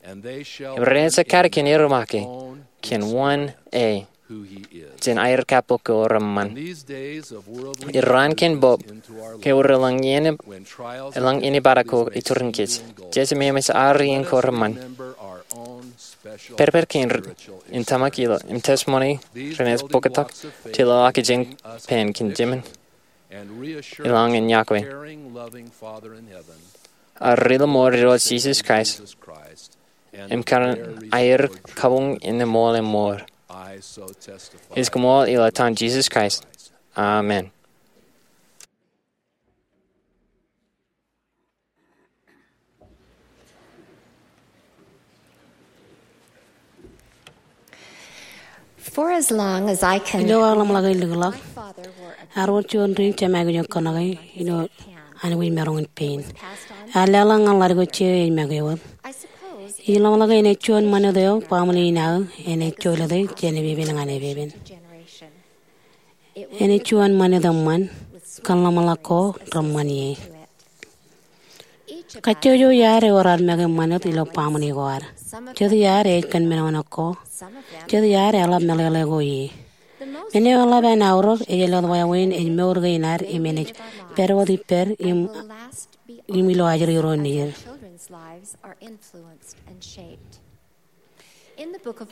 Im renaaj kate kōn er make, kōn wōn e, jān aer kappok ko reṃṃan. Ilo raan kein bōk, ke ewōr eḷaññe, eḷaññe bar ko iturin kōj, jej jemem ej ar iien ko reṃṃan. Pād pād kein, in tōmak ilo, im testimony renaaj bōktok, jeḷā ak ijin pen kōn jemān, eḷaññe iọkwe. Ak ri-lọmọọr Irooj Jisōs Kraist, im kōn aer kabuñ in eṃool im ṃool. Ij koṃṃool ilo etan Jisōs Kraist. Amen. For as long as I can. Ilo aō ḷōmṇak in likḷọk, ear wōr juon ri jemān kōnono ilo anwij maroñ in pein. Ear leḷọk ñan ḷaddik eo jej make wōt. Ij ḷōmṇak enaaj juon ṃanit eo baaṃle in aō enaaj jolōte jān epepen ñan epepen. Enaaj juon ṃanit eṃṃan kōn ḷōmṇak ko reṃṃan ie. Kajjojo iaad ewōr ad make ṃanit ilo baaṃle ko ad. Jet iaad ej kōn men eo ko. Jet iaad eḷap meḷeḷe ko ie. Men eo eḷap an aorōk ej jelōt wāween ej mour kein ad im enaaj pād wōt ippād im, im ilo ajri ro nejid.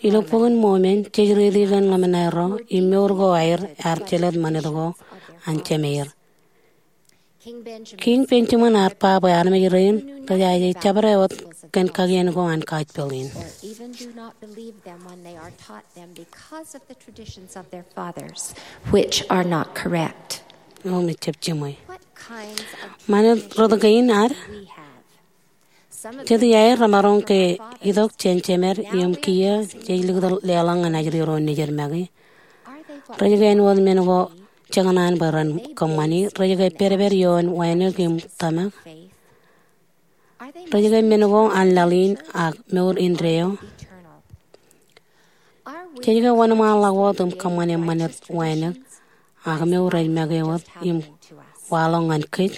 Ilo Bok in Mormon, jej riiti kōn ḷōmṇak ro im mour ko aer ear jelōt ṃanit ko an jemeir. Kiiñ Benjamin ear ba bwe armej rein rej jaje jabdewōt kōn kakien ko an Gospel in. Or even do not believe them when they are taught them because of the traditions of their fathers, which are not correct. Eo me jab jiṃwe. What kinds of Ṃanit rot kein ad? We have. Jet iaer remaroñ ke itok jān jemed im kiiō jej likūt leḷọk ñan ajri ro nejid make. Rej ke āinwōt men ko jekōṇaan bwe ren kōṃṃani, rej ke pedped ioon wānōk im tōmak. Rej ke men ko an laḷ in ak mour indeeo. Jej ke wōnṃaanḷọk wōt im kōṃṃane ṃanit wānōk ak mour rej make wōt im waḷọk ñan kōj.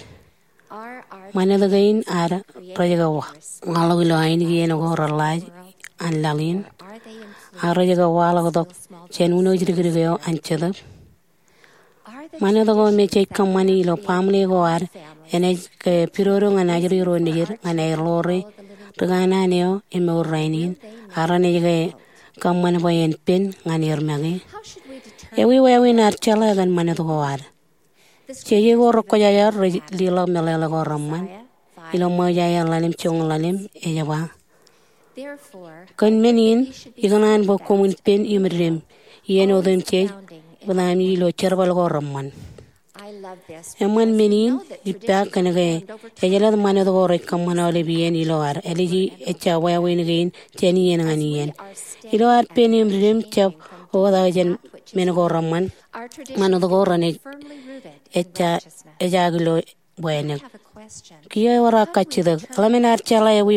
Ṃanit kein ad rej ke wa-, waḷọk ilo ainikien ko reḷḷaaj an laḷ in, ak rej ke waḷọk tok jān uno jidikdik eo an Jetōb. Ṃanit ko me jej kōṃṃani ilo baaṃle ko ad enaaj ke pidodo ñan ajri ro nejid ñan aer ḷoore ri kanaan eo im mour rainin, ak renaaj ke kōṃṃan bwe en pen ñan er make. Ewi wāween ad jeḷā kōn ṃanit ko ad? Jeje ko rekwōjarjar rej leḷọk meḷeḷe ko reṃṃan. Ilo Mosaia ḷalem joñoul ḷalem ej ba, kōn men in ikōṇaan bwe koṃwin pen im dim, iien otemjej, bōtaami ilo jerbal ko reṃṃan. Eṃṃan men in ippa kōn ke ej jelōt ṃanit ko rej kōṃṃan aolep iien ilo ad āliji ejja wāween kein jān iien ñan iien. Ilo ad pen im dim jab oktak jān men ko reṃṃan, ṃanit ko renaaj ejja ejaak ilo wānōk. Kiiō ewōr aō kajjitōk, eḷap men ad jeḷā ewi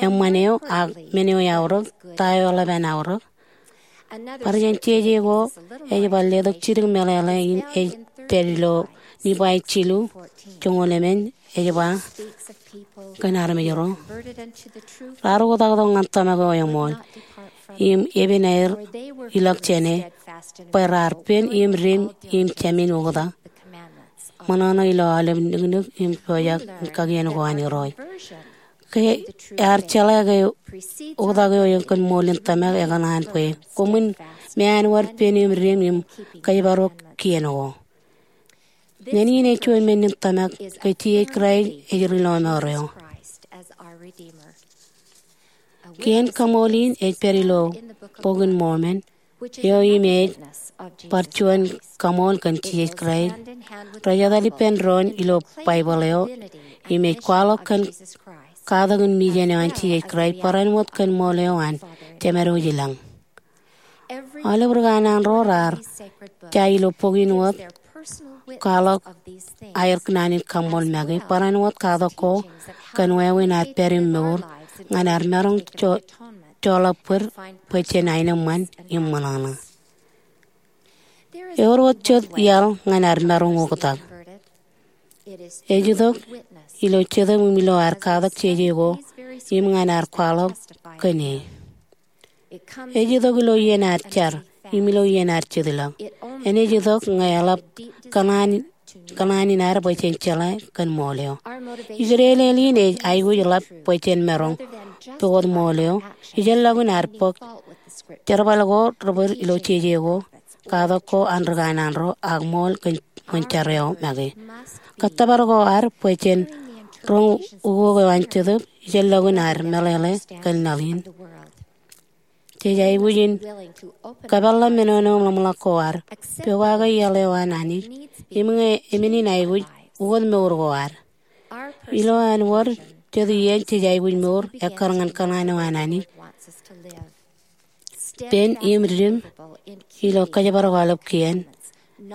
eṃṃan eo ak men eo eaorōk, ta eo eḷap an aorōk? Bar jān jeje ko ej bar letok jidik meḷeḷe in ej pād ilo Nifai jilu, joñoul emān, ej ba kōn armej ro, raar oktak tok ñan tōmak eo eṃool im epen aer ilọk jāne, bwe raar pen im dim im jāmin oktak, ṃōṇōṇō ilo aolep niknik im pojak in kakien ko an Irooj. Ke ear jeḷā ke oktak eo kōn ṃool in tōmak ekōṇaan bwe koṃwin meanwōd pen im dim im kōjparok kien ko. Neen in ej juon men in tōmak ke Jisōs Kraist ej ri lọmọọr eo. Kien kaṃool in ej pād ilo Bok in Mormon, eo im ej bar juon kaṃool kōn Jisōs Kraist. Rej etal ippān doon ilo Baibōḷ eo im ej kwaḷọk kōn katak in mijen eo an Jisōs Kraist barāinwōt kōn ṃool eo an Jemedwōj i lañ. Aolep ri kanaan ro raar ja ilo bok in wōt kwaḷọk aer naan in kaṃool make, barāinwōt katak ko kōn wāween ad pād im mour ñan ad maroñ joḷọk bōd bwe jen aenōṃṃan im ṃōṇōṇō. Ewōr wōt jet iaḷ ñan ad maroñ oktak. Ej itok ilo Jetōb im ilo ad katak jeje ko im ñan ad kwaḷọk kōn e. Ej itok ilo iien ad jar im ilo iien ad jet ilọk. Enaaj itok ñe eḷap kōṇaan in ad bwe jen jeḷā kōn ṃool eo. Ijdeḷeḷ in ej aikuj ḷap bwe jen maroñ pukot ṃool eo. Ijellọkun ad bōk jerbal ko ri bōd ilo jeje ko, katak ko an ri kanaan ro ak ṃool kōn ṃōn jar eo make. Kōttōpar ko ad bwe jen roñ ukok eo an Jetōb ijellọkun ad meḷeḷe kōn laḷ in. Jej aikuj in kōpeḷḷọk menono im ḷōmṇak ko ad, pokake iaḷ eo an Anij, im ñe emān in aikuj, ukōt mour ko ad. Ilo an wōr jet iien jej aikuj mour ekkar ñan kōṇaan eo an Anij, pen im dim ilo kōjparok aolep kien,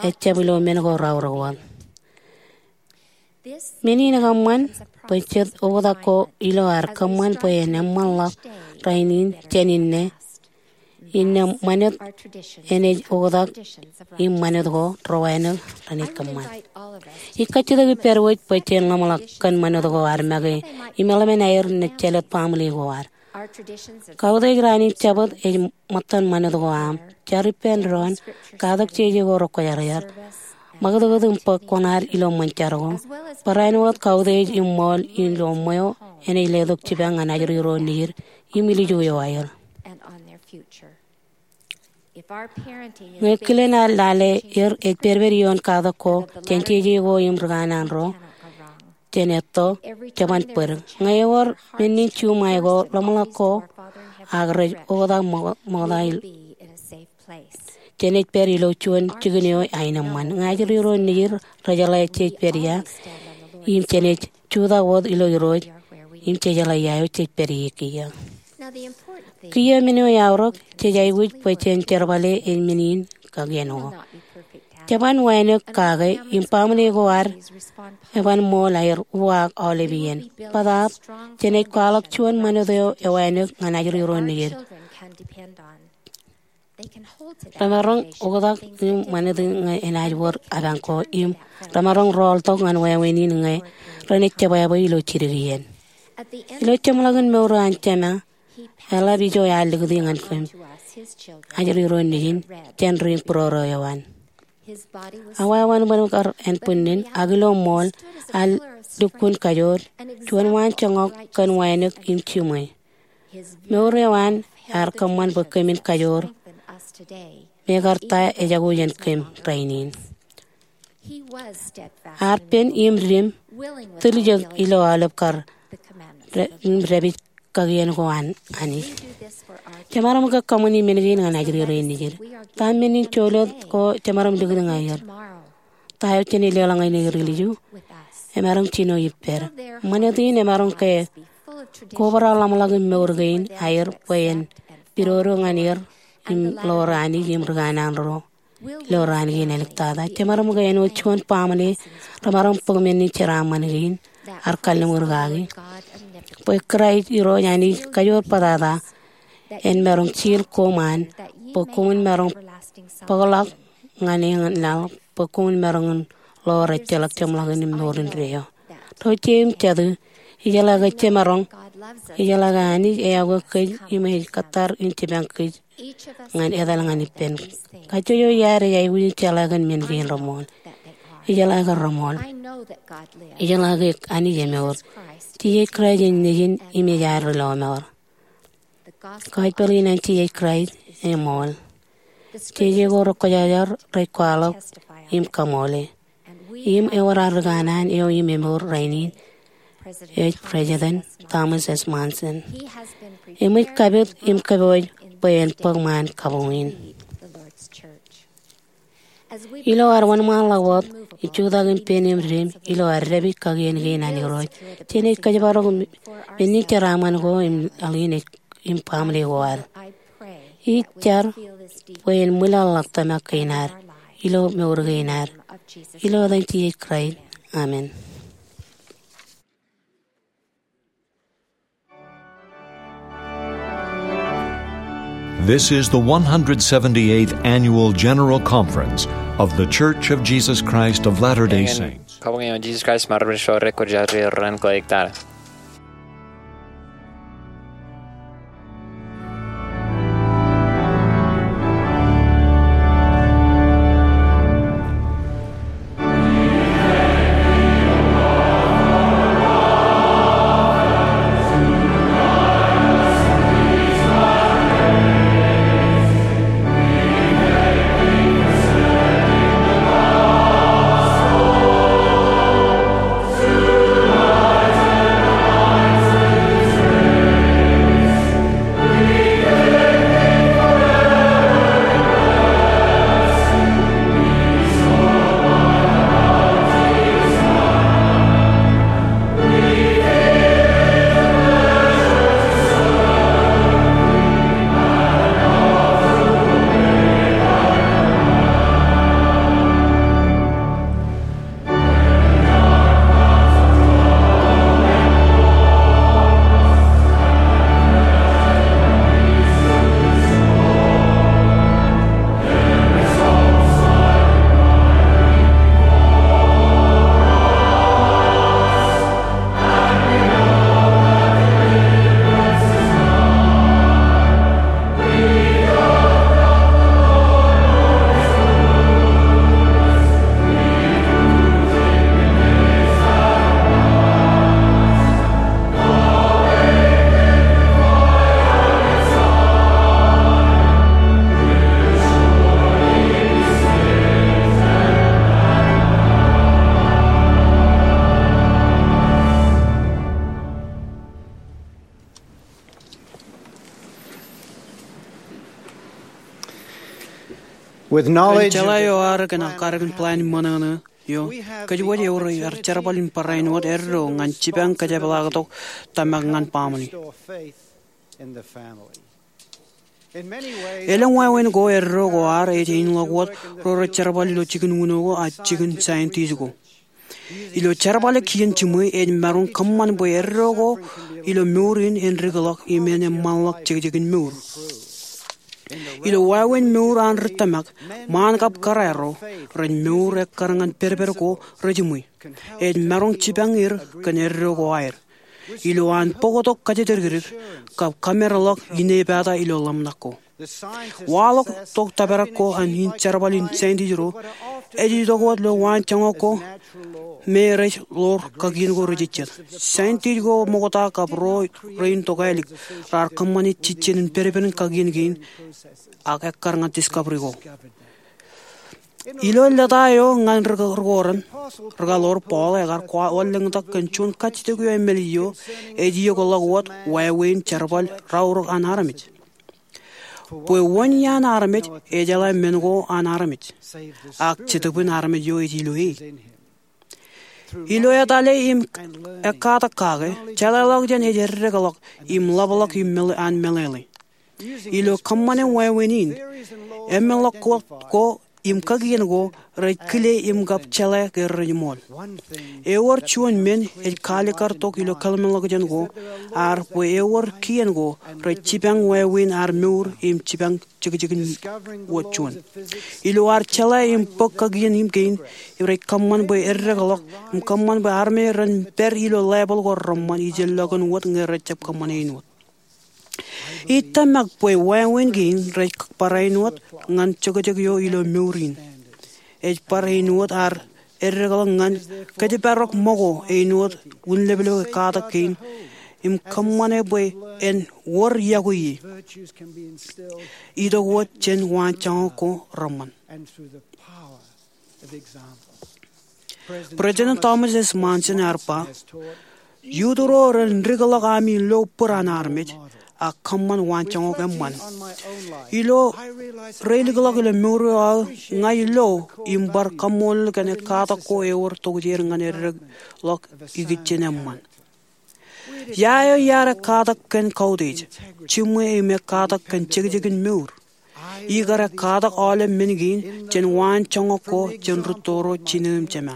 ejjab ilo men ko raorōk wōt. Men in ekōṃṃan bwe jet oktak ko ilo ad kōṃṃan bwe en eṃṃanḷọk rainin jān inne, inne ṃanit enaaj oktak im ṃanit ko ri wānōk renaaj kōṃṃan. Ij kajjitōk ippād wōj bwe jen ḷōmṇak kōn ṃanit ko ad make im eḷmen aer naaj jālōt baaṃle ko ad. Kautiej raan in Jabōt ej ṃōttan ṃanit ko aṃ. Jar ippān doon, katak jeje ko rekwōjarjar, ṃakūtkūt im bōk kuṇaad ilo ṃōn jar ko, barāinwōt kautiej im ṃool ilo ṃweo enaaj letok jipañ ñan ajri ro nejid im ilju eo aer. Ñe kilen ad lale er ej pedped ioon katak ko jān jeje ko im ri kanaan ro, jān etto, jeban bōd. Ñe ewōr men in juṃae ko, ḷōmṇak ko, ak rej oktak ṃokta, jenaaj pād ilo juon jikin eo aenōṃṃan. Ñe ajri ro nejid rejeḷā jej pād ia, im jenaaj jutak wōt ilo Irooj, im jejeḷā ia eo jej pād ie kiiō. Kiiō men eo eaorōk, jej aikuj bwe jen jerbale ej men in kakien ko. Jeban wānōk kake, im baaṃle ko ad eban ṃool aer uwaak aolep iien. Bōtaab, jenaaj kwaḷọk juon ṃanit eo ewānōk ñan ajri ro nejid. Remaroñ oktak im ṃanit in ñe enaaj wōr apañ ko im remaroñ rọọltok ñan wāween in ñe renaaj jebwābwe ilo jidik iien. Ilo jeṃḷọkin mour eo an Jema, eḷap ijo ear likūti ñan kōm, ajri ro nejin, jān ri būroro eo an. Awa ewanbōn kar ānbwinnin, ak ilo ṃool ear lukkuun kajoor, juon waan joñak kōn wānōk im jiṃwe. Mour eo an ear kōṃṃan bwe kōmin kajoor, mekarta ejako jān kōm rainin. Ear pen im dim, tiljek ilo aolep kar, im dāpij kakien ko an Anij. Jemaroñ ke kōṃṃani men kein ñan ajri rein nejid. Ta men in jolōt ko jemaroñ likūt ñan er? Ta eo jenaaj leḷọk ñan er ilju? Emaroñ jino ippād. Ṃanit in emaroñ ke kobrak ḷōmṇak in mour kein aer bwe en pidodo ñan er im ḷoor Anij im ri kanaan ro ilo raan kein āliktata. Jemaroñ ke āinwōt juon baaṃle remaroñ bōk men in jeraaṃṃan kein, ear kalliṃur kaki bwe Kraist Irooj Anij kajoor bōtata en maroñ jil koṃ an, bwe koṃwin maroñ bōkḷọk ñan eñin laḷ, bwe koṃwin maroñ in ḷoor ejjeḷọk jeṃḷọkin mour indeeo. Ro jeiū im jatū, ijeḷā ke jemaroñ, ijeḷā ke Anij eyauwe kōj im ej kōttar in jipañ kōj ñan etal ñan ippān. Kajjojo iaad ej aikuj in jeḷā kōn men kein reṃool. Ijeḷā ke reṃool. Ijeḷā ke Anij emour. Jisōs Kraist ej Nejin im ej ad Ri Lọmọọr. Gospel in an Jisōs Kraist eṃool. Jeje ko rekwōjarjar rej kwaḷọk im kaṃoole. Im ewōr ad ri kanaan eo im emour rainin ej President Thomas S. Monson. Eṃōj kapit im kōpooj bwe en bōk ṃaan kabuñ in. Ilo ad wōnṃaanḷọk wōt im jutak im pen im dim ilo ad dāpij kakien kein an Irooj, jenaaj kōjparok men in jeraaṃṃan ko im laḷ in ej im baaṃle ko ad. Ij jar bwe en ṃwilaḷḷọk tōmak kein ad ilo mour kein ad. Ilo etan Jisōs Kraist, amen. This is the one hundred seventy-eighth Annual General Conference of The Church of Jesus Christ of Latter-day Saints. Kabuñ eo an Jisōs Kraist ṃaan ri-bwidej ro rekwōjarjar ren kōjeañ. Kōn jeḷā eo ad kōn ak kar kōn plan in ṃōṇōṇō eo, kōjwōj ewōr iar jerbal in barāinwōt eddo ñan jipañ kōjepḷaaktok tōmak ñan baaṃle. Elōñ wāween ko, eddo ko ad ej einḷọk wōt ro rej jerbal ilo jikin uno ko ak jikin scientist ko. Ilo jerbale kien jiṃwe ej maroñ kōṃṃan bwe eddo ko ilo mour in en rikḷọk im en eṃṃanḷọk jekjekin mour. Ilo wāween mour an ri tōmak, ṃaan kab kōrā ro, rej mour ekkar ñan pedped ko rejiṃwe. Ej maroñ jipañ er kōn eddo ko aer. Ilo an bōktok kōjatdikdik kab kōmeerḷọk inepata ilo ḷōmṇak ko. Waḷọk tok tōprak ko an in jerbal in scientist ro ej itok wōt ilo waanjoñak ko me rej ḷoor kakien ko rejejjet. Scientist ko ṃokta kab ro rein tokālik raar kōṃṃane jejjen in pedped in kakien kein ak ekkar ñan discovery ko. Ilo lōta eo ñan ri-, rikōrā, rikaḷoor Paul ekar kwaḷọk lōñtak kōn juon kajjitōk eo emālij eo ej iokḷọk wōt wāween jerbal raorōk an armej. Bwe wōn iaan armej ejeḷā men ko an armej, ak Jetōb in armej eo ej ilo e. Ilo etale im ekkatak kake, jeḷāḷọkjeṇ ej eddekḷọk im ḷapḷọk im meḷe-, an meḷeḷe. Ilo kōṃṃane wāween in, emeḷọk ko, ko im kakien ko rej kile im kab jeḷā ke rej ṃool. Ewōr juon men ej kaalikkar tok ilo kōḷmānḷọkjeṇ ko, ak bwe ewōr kien ko rej jipañ wāween ad mour im jipañ jekjekin wōt juon. Ilo ad jeḷā im bōk kakien kein, rej kōṃṃan bwe eddekḷọk im kōṃṃan bwe armej ren pād ilo level ko reṃṃan ijellọkin wōt ñe rejjab kōṃṃane āinwōt. Ij tōmak bwe wāween kein rej barāinwōt ñan jokjok eo ilo mour in. Ej bar āinwōt ad eddekḷọk ñan kōjparok ṃōko āinwōt wūnleplepe katak kein im kōṃṃane bwe en wōr yokwe ie. Itok wōt jān waanjoñak ko reṃṃan. President Thomas S. Monson ear ba, "Youth ro ren dikḷọk ami lo bōd an armej ak kōṃṃan waanjoñak eṃṃan. Ilo reilikḷọk ilo mour eo aō, ña ilo im bar kaṃṃoolol kōn ekkatak ko ewōr tokjāer ñan eddekḷọk ikijjien eṃṃan." Ia eo iar ekkatak kōn kautiej, jiṃwe im ekkatak kōn jekjekin mour? Ikar ekkatak aolep men kein jān waanjoñak ko jān rūtto ro jinō im jema.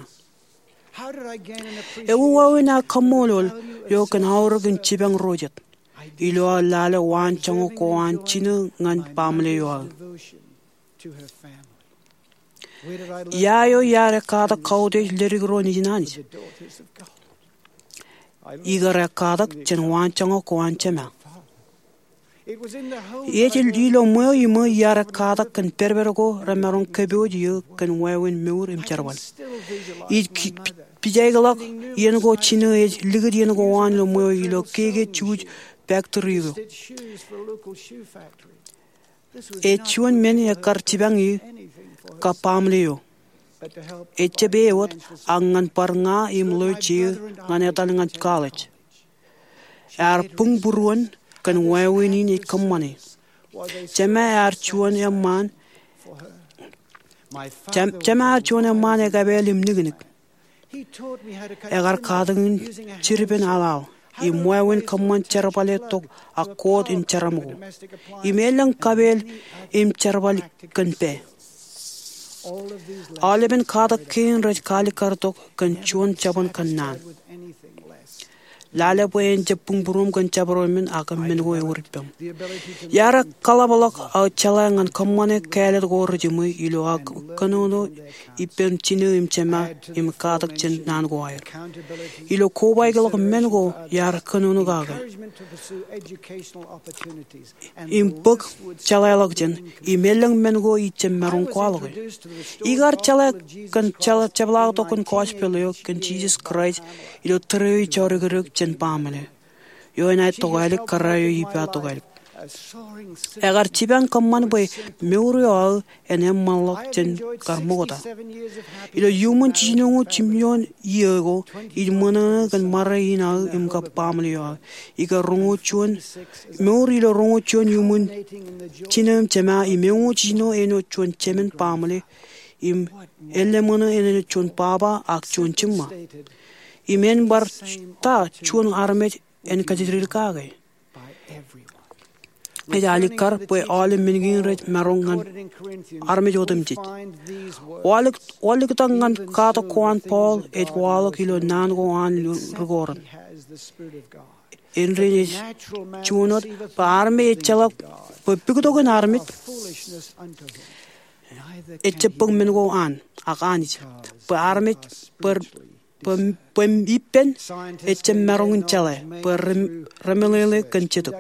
Ewi wāween aō kaṃṃoolol eo kōn aorōk in jipañ ro jet ilo aō lale waanjoñak ko an jinō ñan baaṃle eo aō? Ia eo iar ekkatak kautiej ledik ro nejin Anij? Ikar ekkatak jān waanjoñak ko an jema. Ej ilo ṃweo iṃō iar ekkatak kōn pedped ko remaroñ kōpooj eō kōn wāween mour im jerbal. Ij ki-, pi-, pijaikḷọk iien ko jinō ej likūt iien ko an ilo ṃweo ilo keke juuj factory ko. Ej juon men ekkar jipañ eō kab baaṃle eo. Ejjab e wōt, ak ñan bar ña im ḷeo je ñan etal ñan college. Ear buñbūruon kōn wāween in ej kōṃṃane. Jema ear juon eṃṃaan, jem-, jema ear juon eṃṃaan ekapeel im niknik. Ekar katakin jidipen aḷaḷ im wāween kōṃṃan jerbale tok ak koot im jeram ko, im elōñ kapeel im jerbal kōn pā. Aolepen katak kein rej kaalikkar tok kōn juon jabōn kōnnaan. Lale bwe en jab buñbūruoṃ kōn jabdewōt men ak men ko ewōr ippaṃ. Iar kaḷapḷọk aō jeḷā ñan kōṃṃane kāālōt ko rejiṃwe ilo aō kōnono ippān jinō im jema im katak jān naan ko aer. Ilo kobaikḷọk men ko iar kōnono kake im bōk jeḷāḷọkjeṇ im elōñ men ko ij jab maroñ kwaḷọke. Ikar jeḷā kōn jeḷā jepḷaaktok kōn gospel eo kōn Jisōs Kraist ilo tōre eo ij jodikdik jān baaṃle eo enaaj tokālik kōrā eo ij ba tokālik. Ekar jipañ kōṃṃan bwe mour eo aō en eṃṃanḷọk jān kar ṃokta. Ilo iuṃwin jiljino jiljino iiō ko, ij ṃōṇōṇō kōn ṃare in aō im kab baaṃle eo aō. Ikar roñoul juon, mour ilo roñoul juon iuṃwin jino im jema im eñoul jiljino āinwōt juon jemān baaṃle im elōṃōṇō āinwōt juon baba ak juon jiṃṃa. Im en bar ta juon armej en kajjitōk kake. Ej alikkar bwe aolep men kein rej maroñ ñan armej otemjej. Waḷọk, waḷọktak ñan katak ko an Paul ej waḷọk ilo naan ko an ri Korint. Indein ej juon wōt bwe armej ejjeḷọk bwe puktokin armej ejjab bōk men ko an, ak Anij, bwe armej bwe, bwe, bwe ippān ejjab maroñ in jeḷā bwe re, remeḷeḷe kōn Jetōb.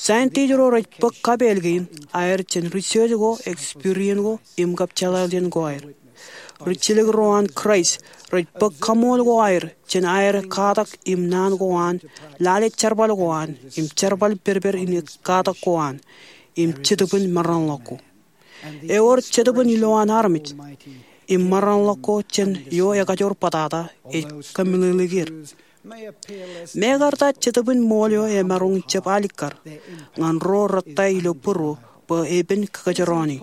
Scientist ro rej bōk kapeel kein aer jān research ko, experience ko, im kab jeḷāḷọkjeṇ ko aer. Rijjelōk ro an Kraist rej bōk kaṃool ko aer jān aer katak im naan ko an, lale jerbal ko an, im jerbal pedped in katak ko an, im Jetōb in maroñḷọk ko. Ewōr Jetōb in ilowaan armej, im maroñḷọk ko jān eo ekajoor bōtata ej kōmeḷeḷeik er. Mekarta Jetōb in ṃool eo emaroñ in jab alikkar ñan ro rettā ilo būruō bwe epen kakōjrọọne.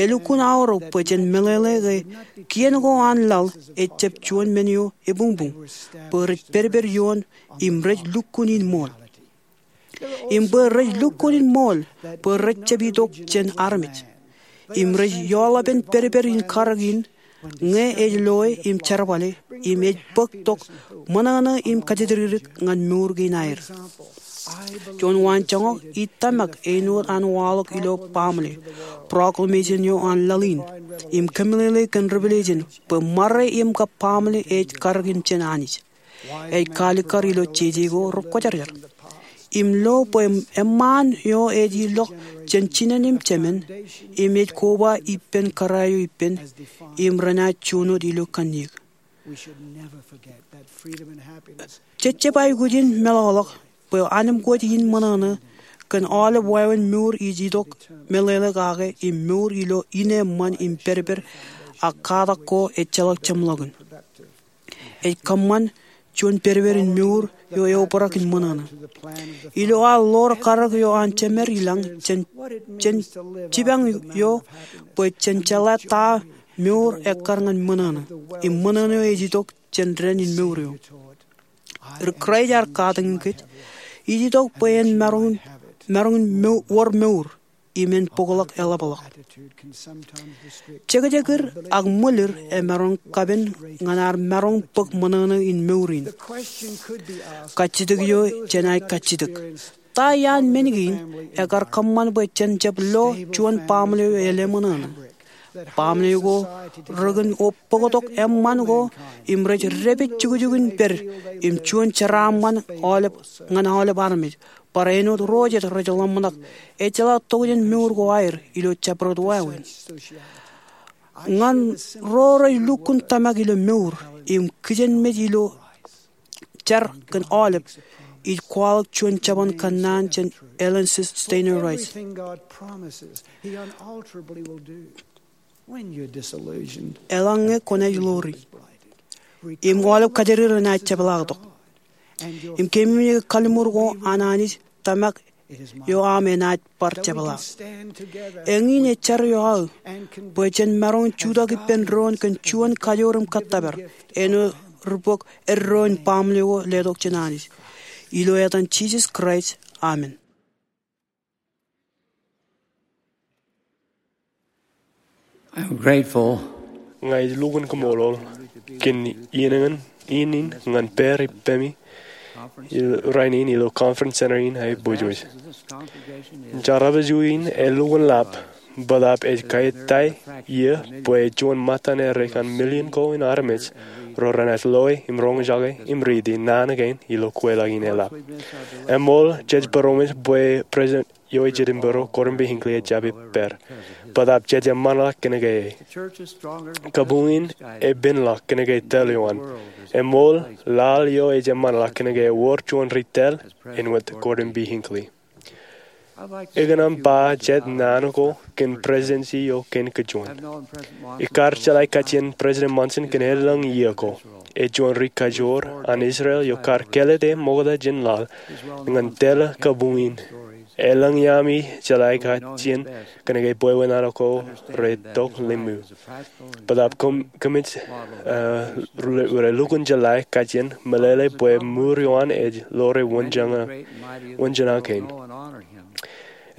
Elukkuun aorōk bwe jen meḷeḷe ke kien ko an laḷ ejjab juon men eo ebuñbuñ, bwe rej pedped ioon im rej lukkuun in ṃool. Im bwe rej lukkuun in ṃool bwe rejjab itok jān armej. Im rej ioḷapen pedped in karōk in ñe ej loe im jerbale, im ej bōk tok ṃōṇōṇō im kajjitōk ñan mour kein aer. Juon waanjoñak ij tōmak āinwōt an waḷọk ilo baaṃle, proclamation eo an laḷ in, im kōmeḷeḷe kōn Revelation bwe ṃare im kab baaṃle ej karōk in jān Anij. Ej kaalikkar ilo jeje ko rekwōjarjar. Im lo bwe eṃṃaan eo ej ilọk jān jinen im jemān, im ej koba ippān kōrā eo ippān, im renaaj juon wōt ilo kanniōk. Jejjab aikuj in meḷọkḷọk bwe anemkwōj in ṃōṇōṇō kōn aolep wāween mour ij itok meḷeḷe kake im mour ilo ineeṃṃan im pedped ak katak ko ejjeḷọk jeṃḷọkin. Ej kōṃṃan juon pedped in mour eo eobrak in ṃōṇōṇō. Ilo ad ḷoor karōk eo an Jemed ilañ jān, jān jipañ eo bwe jen jeḷā ta mour ekkar ñan ṃōṇōṇō, im ṃōṇōṇō eo ej itok jān dān in mour eo. Ri Kraist ear katakin kōj, ij itok bwe en maroñ, maroñ mo-, wōr mour, im en bōkḷọk eḷapḷọk. Jekjekir ak ṃwilir emaroñ kapen ñan ad maroñ bōk ṃōṇōṇō in mour in. Kajjitōk eo jenaaj kajjitōk, ta iaan men kein ekar kōṃṃan bwe jen jab lo juon baaṃle eo elōṃōṇōṇō? Baaṃle ko rein bōktok eṃṃan ko im rej dāpij jukjuk in pād im juon jeraaṃṃan aolep, ñan aolep armej. Bar āinwōt ro jet rej ḷōmṇak, ejjeḷọk tokjān mour ko aer ilo jabdewōt wāween. Ñan ro rej lukkuun tōmak ilo mour im kijenmej ilo jar kōn aolep, ij kwaḷọk juon jabōn kōnnaan jān Ellen Sister Stanley Wright. Eḷaññe kwōnaaj ḷoori im aolep kajjitōk renaaj jepḷaaktok, im keememej ke kalliṃur ko an Anij tōmak eo aṃ enaaj bar jepḷaak. Eñin ej jar eo aō bwe jen maroñ jutak ippān doon kōn juon kajoor im kōttōpar āinwōt ri bok eddo in baaṃle ko letok jān Anij. Ilo etan Jisōs Kraist, amen. I'm grateful. Ña ij lukkuun kaṃṃoolol kōn iien in ñan pād ippemi rainin ilo Conference Center in aō ippān. Jar eo aō in elukkuun lap, bōtaab ej kaitai iiō bwe juon ṃōttan eo rej kar million ko in armej ro renaaj loe im roñjake im riiti naan kein ilo kweilọk in eḷap. Eṃool jej būroṃōj bwe President eo ej Jetōb Bōro, Gordon B. Hinckley, ejjab ippād. Bōtaab jej eṃṃanḷọk kōnke e. Kabuñ in epenḷọk kōnke tōl eo an. Eṃool, laḷ eo ej eṃṃanḷọk kōnke ewōr juon ri tōl āinwōt Gordon B. Hinckley. Ekōṇaan ba jet naan ko kōn Presidency eo kein kajuon. Ikar jeḷā kajjien President Monson kōn elōñ iiō ko. Ej juon ri kajoor an Israel eo kar kāālōt e ṃokta jān laḷ ñan tōl kabuñ in. Elōñ iaami jeḷā kajjien kōnke bwebwenato ko rej tok limū. Bōtaab kōmij, eh, re, relukkuun jeḷā kajjien meḷeḷe bwe mour eo an ej ḷoore wōnjeṇ, wōnjeṇa kein.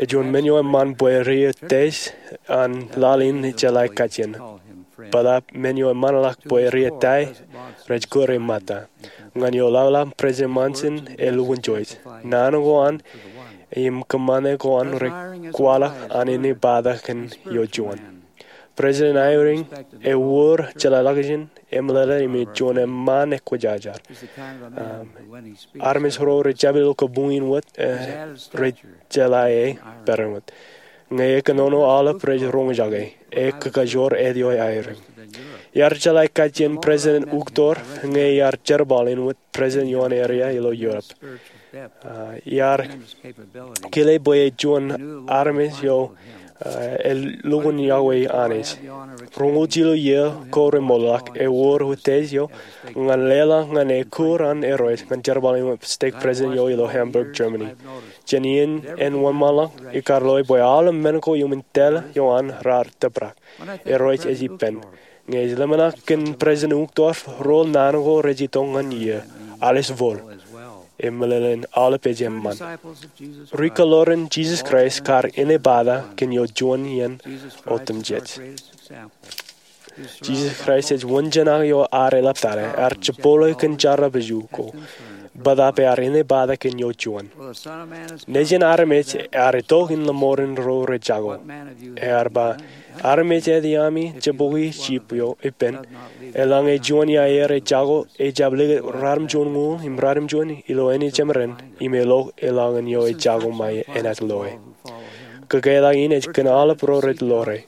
Ej juon men eo eṃṃan bwe ri-eo test an laḷ in jeḷā kajjien. Bōtaab men eo eṃṃanḷọk bwe ri-eo ta rej kūr e mata. Ñan eo ḷapḷap President Monson elukkuun joij. Naan ko an im kōṃṃane ko an rej kwaḷọk an inepata kōn eo juon. President Eyring ewōr jeḷāḷọkjeṇ, emeḷeḷe im ej juon eṃṃaan ekwōjarjar. Um, armej ro rej jab ilo kabuñ in wōt, eh, rej jeḷā e peran wōt. Ñe ekōnono aolep rej roñjake, ekōkajoor eo Eyring. Iar jeḷā kajjien President Uchtdorf ñe iar jerbal in wōt president eo an area ilo Europe. Uh, iar kile bwe ej juon armej eo, uh, elukkuun yokwe Anij. Roñoul jilu iiō ko remootḷọk, ewōr wūtej eo ñan leḷọk ñan ekūr an Irooj ñan jerbal in wōt stake president eo ilo Hamburg, Germany. Jān iien en wōnṃaanḷọk, ikar loe bwe aolep men ko iuṃwin tōl eo an raar tōprak. Irooj ej ippān. Ñe ij ḷōmṇak kōn President Uchtdorf, rool naan ko rej itok ñan iiō, alis vool. Im meḷeḷein aolep ej eṃṃan. Ri-kōḷoran Jisōs Kraist kar inepata kōn eo juon iien otemjej. Jisōs Kraist ej wōnjeṇak eo ad eḷaptata, ad jepole kōn jarrabju ko, bōtaab ear inepata kōn eo juon. Nejin armej ear itok in lọmọọren ro rej jako. Ear ba, armej eo iaami jebokwi jip eo ippān, eḷaññe juon iaer ej jako, ejab likūt ratimjuon ñuul im ratimjuon ilo āne jemān, im elok eḷaññe eo ej jako ṃae enaaj loe. Kōketak in ej kōn aolep ro rej ḷoore.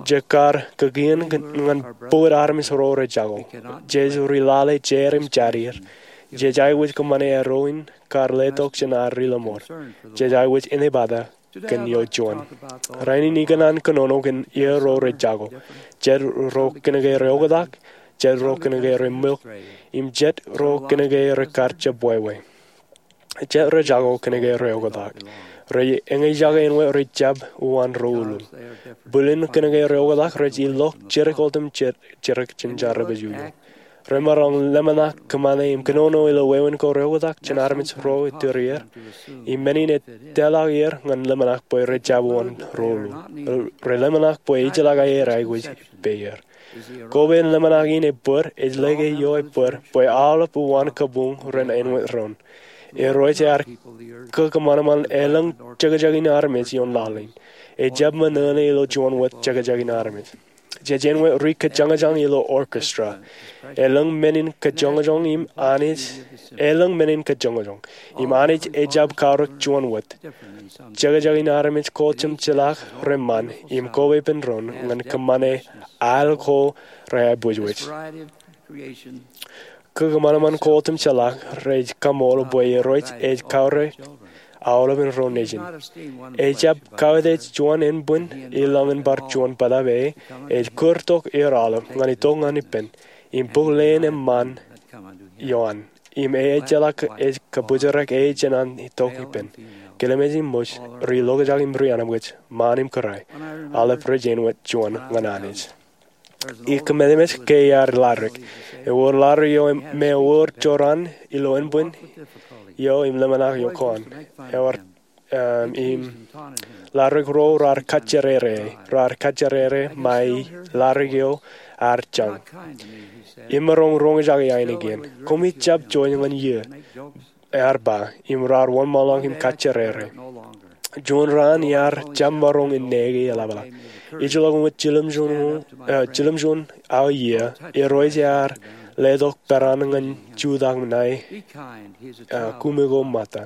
Jej kar kōkien ñan bōd armej ro rej jako. Jej ri lale jeid im jarier. Jej aikuj kōṃṃane eddo in kar letok jān ad ri-lọmọọr. Jej aikuj inepata kōn eo juon. Rainin ikōṇaan kōnono kōn iiō ro rej jako. Jet ro kōnke reoktak, jet ro kōnke remook, im jet ro kōnke rekar jab wāween. Jet rej jako kōnke reoktak. Rej eñjake āinwōt rej jab uwaan ro ullū. Bōlen kōnke reoktak rej ilọk jidik otemjej jidik jān jarrabju eo. Remaroñ ḷōmṇak kōṃṃane im kōnono ilo wāween ko reoktak jān armej ro ettirier. Im men in etōllọk er ñan ḷōmṇak bwe rej jab uwaan ro ullū. Reḷōmṇak bwe ejjeḷọk aer aikuj ippāer. Koba in ḷōmṇak in ebōd, ej lōke eo ebōd, bwe aolep uwaan kabuñ ren āinwōt doon. Irooj ear kōkōṃanṃan elōñ jekjek in armej ioon laḷ in. Ejab ṃōṇōṇō ilo juon wōt jekjek in armej. Jej āinwōt ri-kōjjoñjōñ ilo orchestra. Elōñ men in kōjjoñjōñ im Anij, elōñ men in kōjjoñjōñ. Im Anij ejab kaorōk juon wōt. Jekjek in armej ko otemjeḷọk reṃṃan im koba ippān doon ñan kōṃṃane al ko reaibwijwij. Kōkōṃanṃan ko otemjeḷọk rej kaṃool bwe Irooj ej kaorōk aolepān ro nejin. Ejab kautiej juon ānbwin i ḷọk in bar juon bōtaab e, ej kūrtok er aolep ñan itok ñan ippān, im bōk leen eṃṃan ioon. Im ejjeḷọk ej kabōjrak e jān an itok ippān. Kilemeej im ṃōj, ri-lokjak im ri-anabwij, ṃaan im kōrā, aolep rej āinwōt juon ñan Anij. Ikōmemeej ke iar ḷaddik. Ewōr ḷaddik eo me ewōr jorrāān ilo ānbwin eo im ḷōmṇak eo kōn. Ewōr, um, im ḷaddik ro raar kajjerere, raar kajjerere ṃae ḷaddik eo ear jañ. Im maroñ roñjake ainikien. Koṃij jab joij ñan iiō, ear ba, im raar wōnṃaanḷọk im kajjerere. Juon raan iar jab maroñ inneke eḷapḷọk. Ijellọkuṃ wōt jiljilimjuon, eh, jiljilimjuon awa iiō, Irooj ear letok peran ñan jutak ṇae, eh, kuṃwij ko ṃōtta.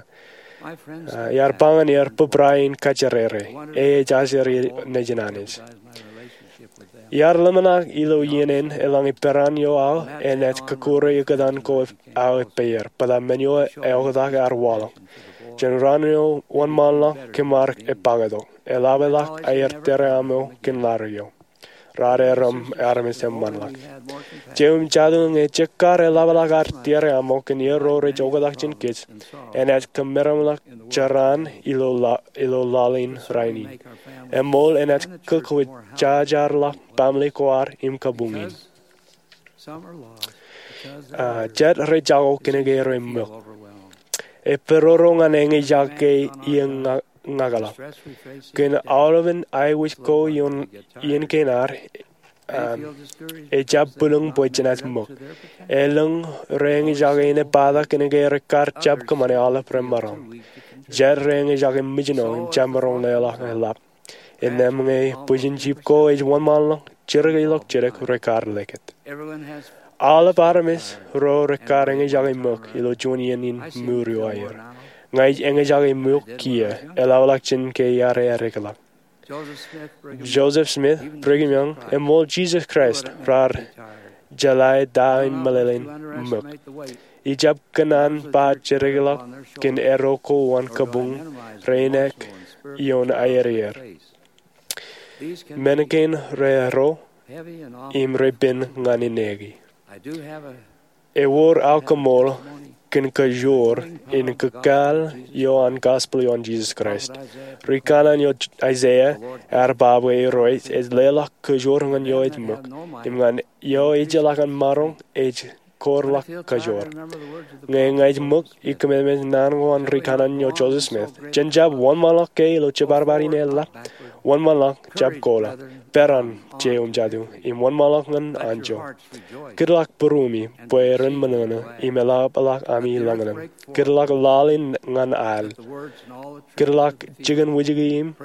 Eh, iar ba ñan er bōbrae in kajjerere, e ej aseer nejin Anij. Iar ḷōmṇak ilo iien in eḷaññe peran eo awa enaaj kōkure ekkōtan ko awa eppeer, bōtaab men eo eoktak ear waḷọk. Jān raan eo wōnṃaanḷọk kōm ar epaaktok. Eḷapḷọk aer tōre aṃ eo kōn ḷadik eo. Raar erom armej eṃṃanḷọk. Jeiū im jatū, ñe jekar eḷapḷọk ad tōre aṃ eo kōn iien ro rej oktak jān kōj, enaaj kōmeramḷọk jeraan ilo ḷa- ilo laḷ in rainin. Eṃool enaaj kōkwōjarjarḷọk baaṃle ko ad im kabuñ in. Jet rej jako kōnke rej ṃōk. Epororo ñan eñjake iien ñakḷọk. Kōn aolepān aiwōj ko ioon iien kein ad, ejjab bwilōñ bwe jenaaj ṃōk. Elōñ rej eñjake in epata kōnke rekar jab kōṃṃane aolep remaroñ. Jet rej eñjake mijno im jab maroñ leḷọk eḷap. Innām ñe bwijin jip ko ej wōnṃaanḷọk, jidik ilo jidik rekar likūt. Aolep armej ro rekar eñjake ṃōk ilo juon iien in mour eo aer. Ña ij eñjake ṃōk kiiō, eḷapḷọk jān ke iar eddekḷọk. Joseph Smith, Brigham Young, eṃool Jisōs Kraist raar jeḷā ta im meḷeḷein ṃōk. Ijab kōṇaan ba jidikḷọk kōn eddo ko an kabuñ reinek ioon aer er. Men kein re eddo im re pen ñan ineki. Ewōr aō koṃṃool kōn kajoor in kōkāāl eo an gospel eo an Jisōs Kraist. Ri kanaan eo Aiseia ear ba bwe Irooj ej leḷọk kajoor ñan eo ej ṃōk, im ñan eo ejjeḷọk an maroñ ej koorḷọk kajoor. Ñe ña ij ṃōk, ikōmemeej naan ko an ri kanaan eo Joseph Smith, jen jab wōnṃaanḷọk ke ilo jibadbad in eḷap. Wōnṃaanḷọk jab koḷa. Peran, jeiū im jatū, im wōnṃaanḷọk ñan anjọ. Kūrḷọk būruemi bwe ren ṃōṇōṇō im eḷapḷọk ami lañlōñ. Kūrḷọk laḷ in ñan al. Kūrḷọk jikin wūjiki im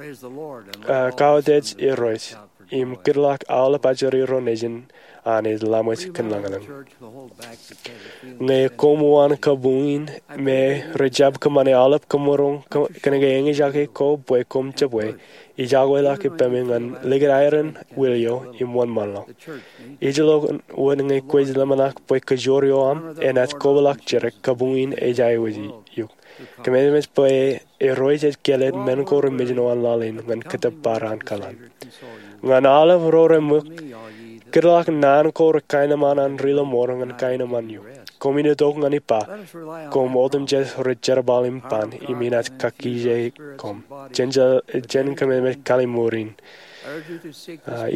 kautiej Irooj. Im kūrḷọk aolep ajri ro nejin an ej laṃōj kōn lañlōñ. Ñe koṃ uwaan kabuñ in me rej jab kōṃṃane aolep kōmaroñ kōnke eñjake ko bwe koṃ jebwe, ij akwōlọk ippaṃ ñan likūt aer in wūlio im wōnṃaanḷọk. Ij lo wōt ñe kwōj ḷōmṇak bwe kajoor eo aṃ enaaj kobaḷọk jidik, kabuñ in ej aiwōj eok. Kōmemeej bwe Irooj ej kāālōt men ko rej mijno an laḷ in ñan kōttōpar an kōḷan. Ñan aolep ro reṃōk, kūrḷọk naan ko rekaenōṃṃan an ri lọmọọr ñan kaenōṃṃan eok. Koṃwin itok ñan ippa, koṃ otemjej rej jerbal im ban, im inaaj kakkije koṃ. Jen kōmemeej kalliṃur in.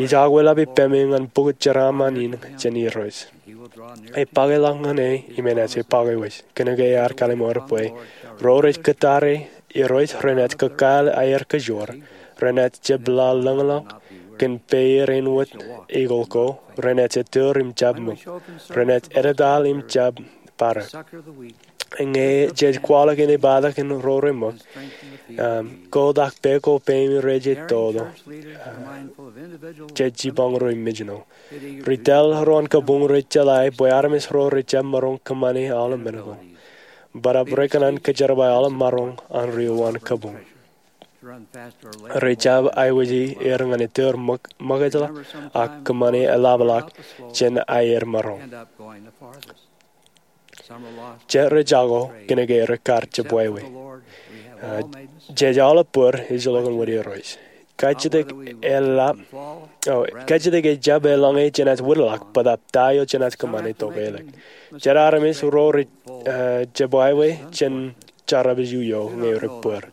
Ij akwōlọk ippaṃ ñan pukot jeraaṃṃan in jān Irooj. Epakeḷọk ñan e im enaaj epakewōj. Kōnke ear kalliṃur bwe ro rej kōttar e Irooj renaaj kōkāāl aer kajoor, renaaj jepḷaḷḷōñḷọk kōn peier āinwōt eagle ko, renaaj ettōr im jab ṃōk, renaaj edetaḷ im jab padek. Ñe jej kwaḷọk in epata kōn ro reṃōk, kotak pā ko peiṃ rej ej toto, jej jipañ ro im mijno. Ri tōl ro an kabuñ rej jeḷā bwe armej ro rej jab maroñ kōṃṃane aolep men ko. Bōtaab rekōṇaan kōjerbal aolep maroñ an ri uwaan kabuñ. Rej jab aiwōj er ñan ettōr ṃōkajḷọk ak kōṃṃane eḷapḷọk jān aer maroñ. Jet rej jako kōnke rekar jebwābwe. Jej aolep bōd ej lo kōn wōt Irooj. Kajjitōk eḷap, kajjitōk ejjab eḷaññe jenaaj wōtlọk, bōtaab ta eo jenaaj kōṃṃane tokālik. Jet armej ro rej jebwābwe jān jarrabju eo ñe rej bōd.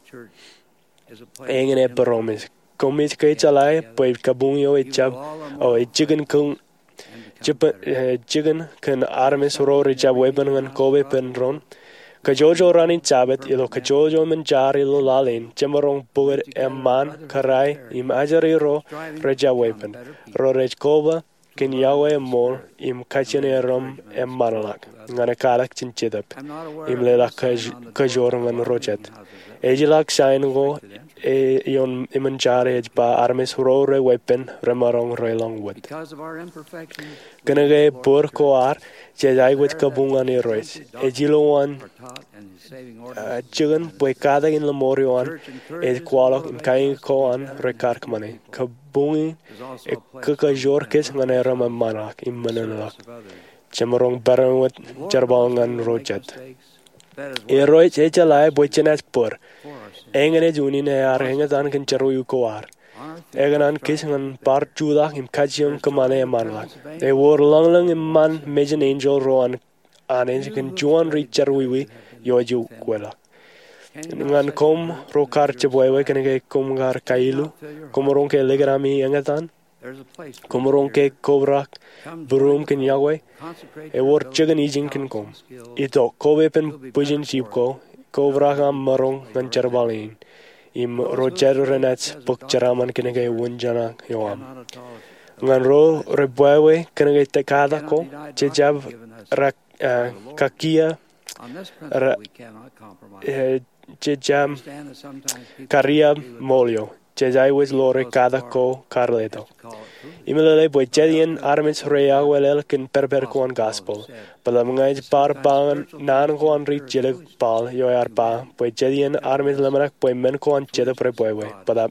Eñin e būroṃōj. Koṃij ke jeḷā bwe kabuñ eo ejjab, o ej jikin kōn, jikin kōn armej ro rej jab weeppān ñan koba ippān doon. Kōjwōjwōj raan in Jabōt ilo kōjwōjwōj emān jar ilo laḷ in, jemaroñ pukot eṃṃaan, kōrā, im ajri ro rej jab weeppān. Ro rej koba kōn iọkwe eṃool im kajjien erom eṃṃanḷọk ñan ekālik jān Jetōb im leḷọk kōj- kōjoor ñan ro jet. Ejjeḷọk sain ko ioon emān jar ej ba armej ro re weeppān remaroñ relọñ wōt. Kōnke bōd ko ad, jej aikuj kabuñ an Irooj. Ej ilowaan jikin bwe katak in lọmọọr eo an ej kwaḷọk im kaiñak ko an rekar kōṃṃane. Kabuñ in ekōkōjoor kōj ñan erom eṃṃanḷọk im ṃōṇōṇōḷọk. Jemaroñ peran wōt jerbal ñan ro jet. Irooj ejeḷā bwe jenaaj bōd. Eñin ej unin ear eñtaan kōn jerọwiwi ko ad. Ekōṇaan kōj ñan bar jutak im kajjioñ kōṃṃane eṃṃanḷọk. Ewōr lōñlōñ eṃṃan mejān enjeḷ ro an Anij kōn juon ri jerọwiwi eo ej ukeḷọk. Ñan koṃ ro kar jebwābwe kōnke koṃ kar kailo, koṃ roñ ke likūt ami eñtaan, koṃ roñ ke kobrak būruōm kōn yokwe, ewōr jikin ijin kōn koṃ. Itok, kopepen bwijin jip ko, kobrak aṃ maroñ ñan jerbal in, im ro jet renaaj bōk jeraaṃṃan kōnke wūnjaṇak eo aṃ. Ñan ro rej bwābwe kōnke katak ko, jej jab ra, eh, kakiiō, ra, eh, jej jab kariab ṃool eo. Jej aikuj lo rej katak ko kar letok. Im meḷeḷe bwe jet iien armej rej akwelel kōn pedped ko an gospel. Bōtaab ña ij bar ba ñan naan ko an ri jilkinḷọk Paul eo ear ba bwe jet iien armej ḷōmṇak bwe men ko an Jetōb rej bwābwe. Bōtaab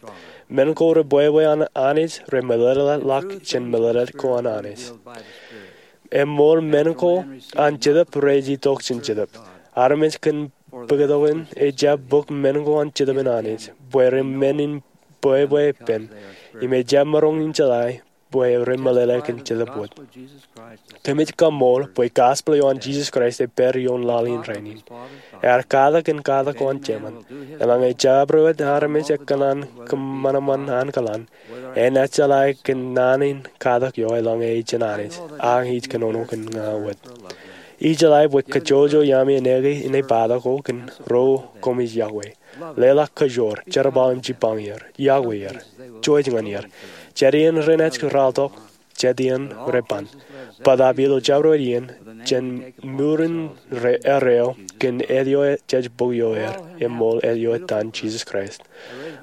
men ko rej bwābwe an Anij rej meḷeḷeḷọk jān meḷeḷe ko an Anij. Eṃool men ko an Jetōb rej itok jān Jetōb. Armej kōn bōktok in ejjab bōk men ko an Jetōb in Anij, bwe ren men in bwābwe ippān, im ejjab maroñ in jeḷā bwe ren meḷeḷe kōn Jetōb wōt. Kōmij kaṃool bwe gospel eo an Jisōs Kraist ej pād ioon laḷ in rainin. Ear katak kōn katak ko an Jemān. Eḷaññe jabdewōt armej ekōṇaan kōṃanṃan ankilaan, enaaj jeḷā kōn naan in katak eo eḷaññe ejān Anij, ak ij kōnono kōn ña wōt. Ij jeḷā bwe kōjojoj iaami enaaj kōn ej bōktok ko kōn ro koṃij yokwe. Leḷọk kōjoor, jerbal im jipañ er, yokwe er, jouj ñan er. Jet iien renaaj ralitōk, jet iien rej ban. Bōtaab ilo jabdewōt iien, jān ṃurin eo, kōn ālikin jej bōk ioer, eṃool ālikin etan Jisōs Kraist.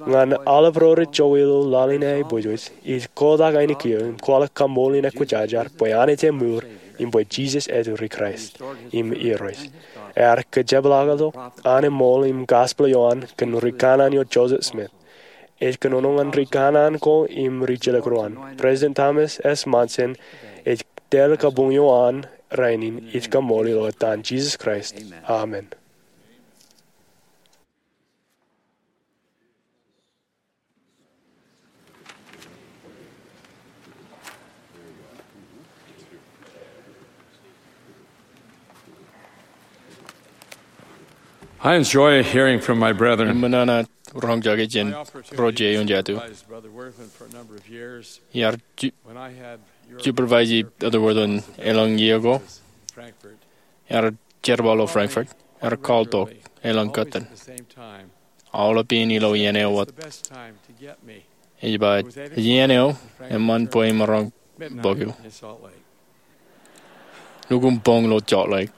Ñan aolep ro rej jokwe ilo laḷ in aiboojoj, ij kotak ainikien im kwaḷọk kaṃool in ekwōjarjar bwe Anij eṃōj, im bwe Jisōs ej ri Kraist im Irooj. Ear kōjepḷaaktok an eṃool im gospel eo an kōn ri kanaan eo Joseph Smith. Ej kōnono ñan ri kanaan ko im ri jilkinḷọk ro an. President Thomas S. Monson ej tōl kabuñ eo an rainin. Ij kaṃool ilo etan Jisōs Kraist. Amen. I enjoy hearing from my brethren. Im ṃōṇōṇō roñjake jān ro je eoon jatū. Iar supervise Elder Wirthlin elōñ iiō ko. Ear jerbal ilo Frankfurt. Ear call tok elōñ kōttan. Aolep in ilo iien eo wōt. Ej ba, iien eo eṃṃan bwe imaroñ bōk eok. Lukkuun boñ ilo Salt Lake.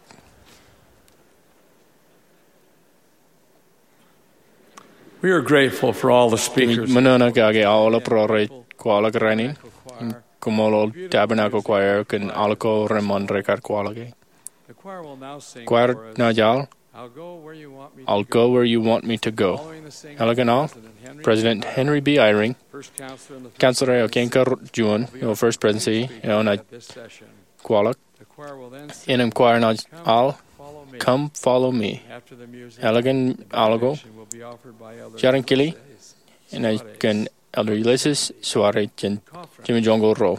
We are grateful for all the speakers. Ṃōṇōṇō kake aolep ro rej kwaḷọk rainin. Im kaṃṃoolol Tabernacle Choir kōn aḷ ko reṃṃan rekar kwaḷọke. Choir naaj aḷ I'll Go Where You Want Me to Go. Eḷaññe aḷ, President Henry B. Eyring, counselor eo kein karuo juon ilo First Presidency eo, enaaj kwaḷọk. Innām choir naaj aḷ Come Follow Me. Eḷaññe aḷ ko, Jar in Kili enaaj kōn Elder Ulisses Soares jān Jimmy Jones Gospel Ruo.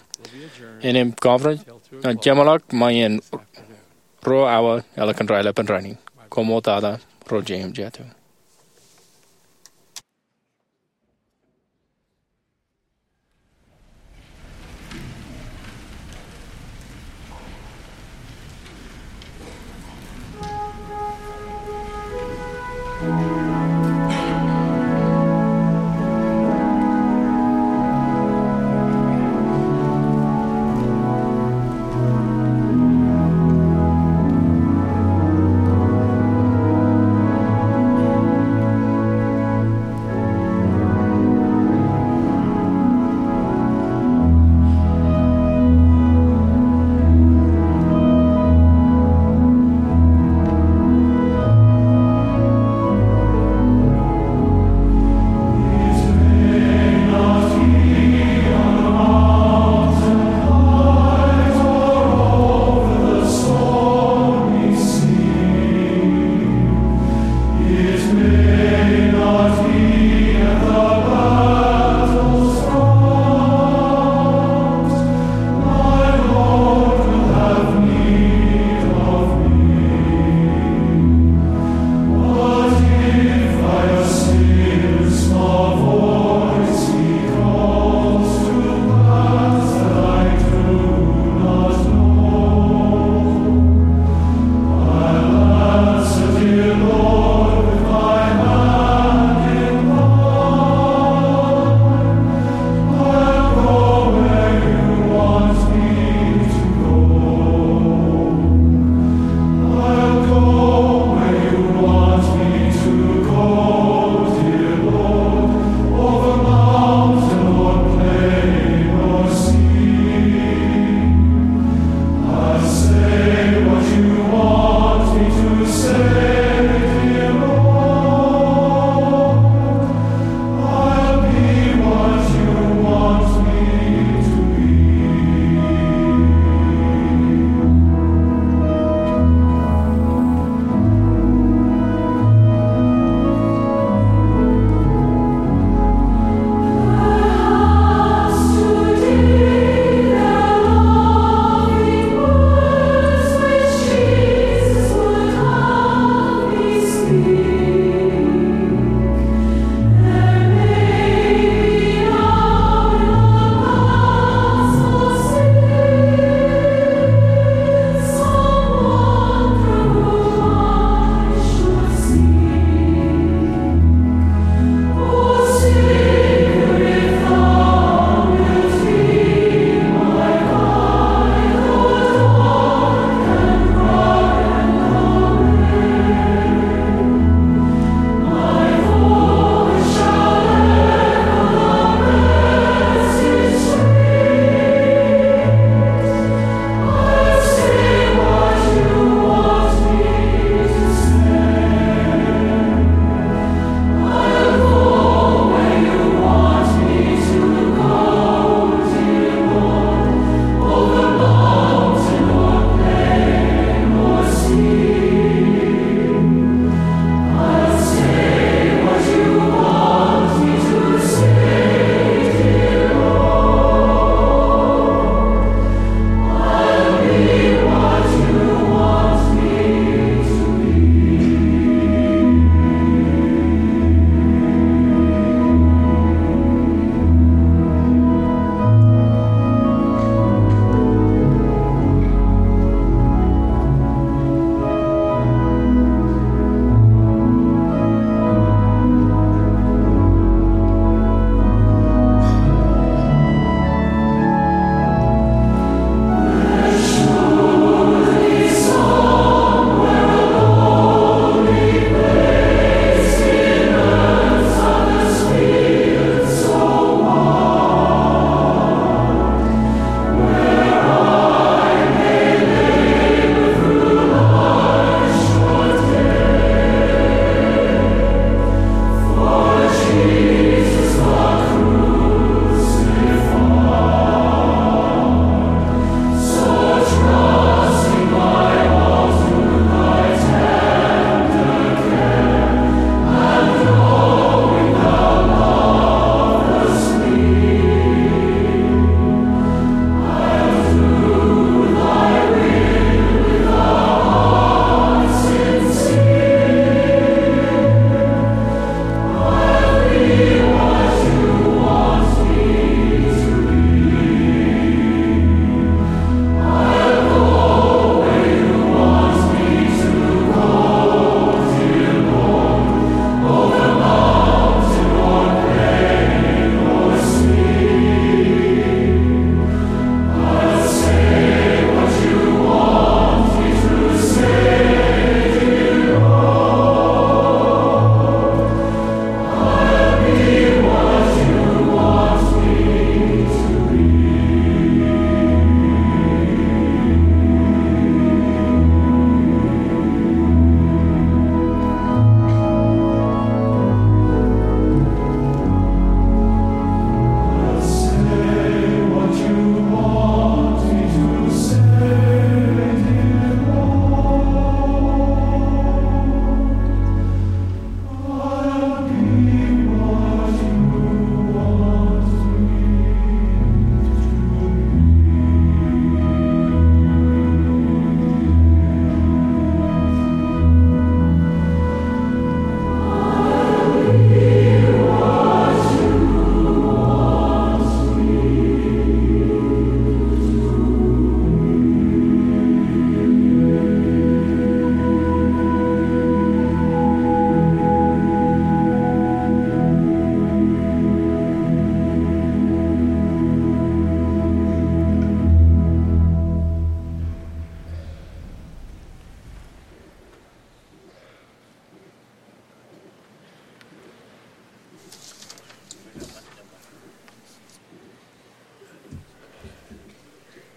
Innām conference naaj jeṃḷọk ṃae iien ruo awa eḷaññe raelepen rainin. Koṃṃool tata ro je eoon jatū.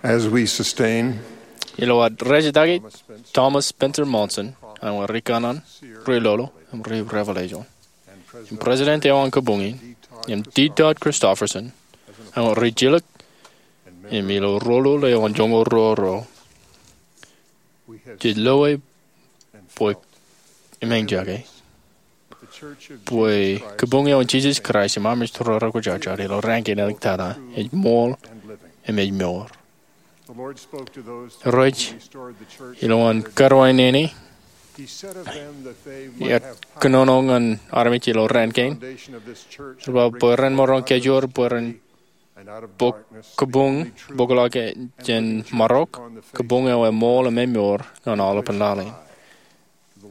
As we sustain Ilo ad rejetakin Thomas Spencer Monson, an wōt ri kanaan, ri lolo, im ri revelation, im president eo an kōbuñin, im D. Todd Christofferson, an wōt ri jilōk, im ilo rōlul eo an joñoul ruo ruo, jej loe bwe, im eñjake bwe kōbuñ eo an Jesus Christ im Armej Tōre Kwōjarjar ilo raan kein āliktata ej ṃool im ej mour. Irooj, ilowaan karuwainene, Ear kōnono ñan armej ilo raan kein, Ear ba bwe ren maroñ kajoor bwe ren bōk kōbuñ, bōkḷọk jān marok, kōbuñ eo emool im emoor ñan aolepān laḷ in.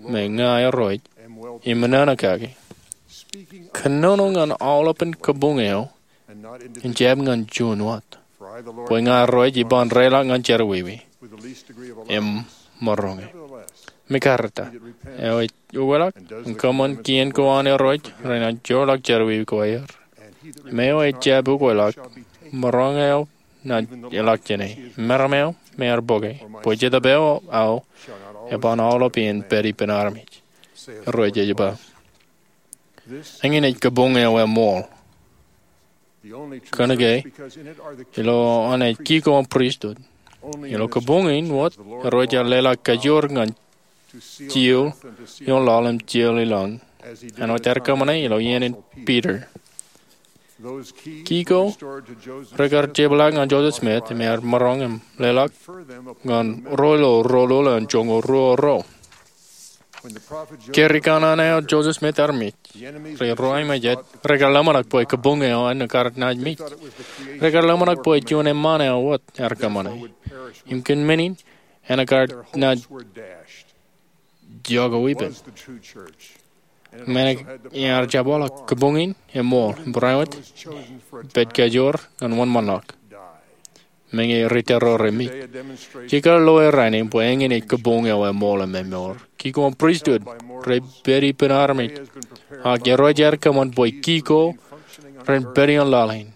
Im ña Irooj, im ṃōṇōṇō kake, kōnono ñan aolepān kōbuñ eo, im jab ñan juon wōt. Bwe ña Irooj iban reiḷọk ñan jerọwiwi im maroñe. Im ekkar ta, eo ej ukeḷọk im kōṃṃan kien ko an Irooj renaaj joorḷọk jerọwiwi ko aer. Im eo ejjab ukeḷọk, maroñ eo naaj ilọk jāne, im meram eo me ear bōke, bwe Jetōb eo aō eban aolep iien pād ippān armej, Irooj ej ba. Eñin ej kōbuñ eo emool. Kōnke ilo an ej kiko an pristut. Ilo kōbuñ in wōt, Irooj ear leḷọk kajoor ñan jeiū ioon laḷ im jeiū ilọñ, āinwōt ear kōṃṃane ilo iien in Piter. Kiko rekar jepḷaak ñan Joseph Smith im ear maroñ im leḷọk ñan ro ilo rōlul eo an joñoul ruo ruo. Ke ri kanaan eo Joseph Smith ear mej, ri ruwaimejād rekar ḷōmṇak bwe kōbuñ eo en ekkar naaj mej. Rekar ḷōmṇak bwe juon eṃṃaan eo wōt ear kōṃṃane. Im kōn men in, en ekkar naaj jako ippān. Men ear jab waḷọk kōbuñ in emool, im barāinwōt, pād kajoor ñan wōnṃaanḷọk. Meñe ri tōre ro remej. Jekar loe rainin bwe eñin ej kōbuñ eo emool im emoor. Kiko an pristut rej pād ippān armej. Ak Irooj ear kōṃṃan bwe kiko ren pād ioon laḷ in.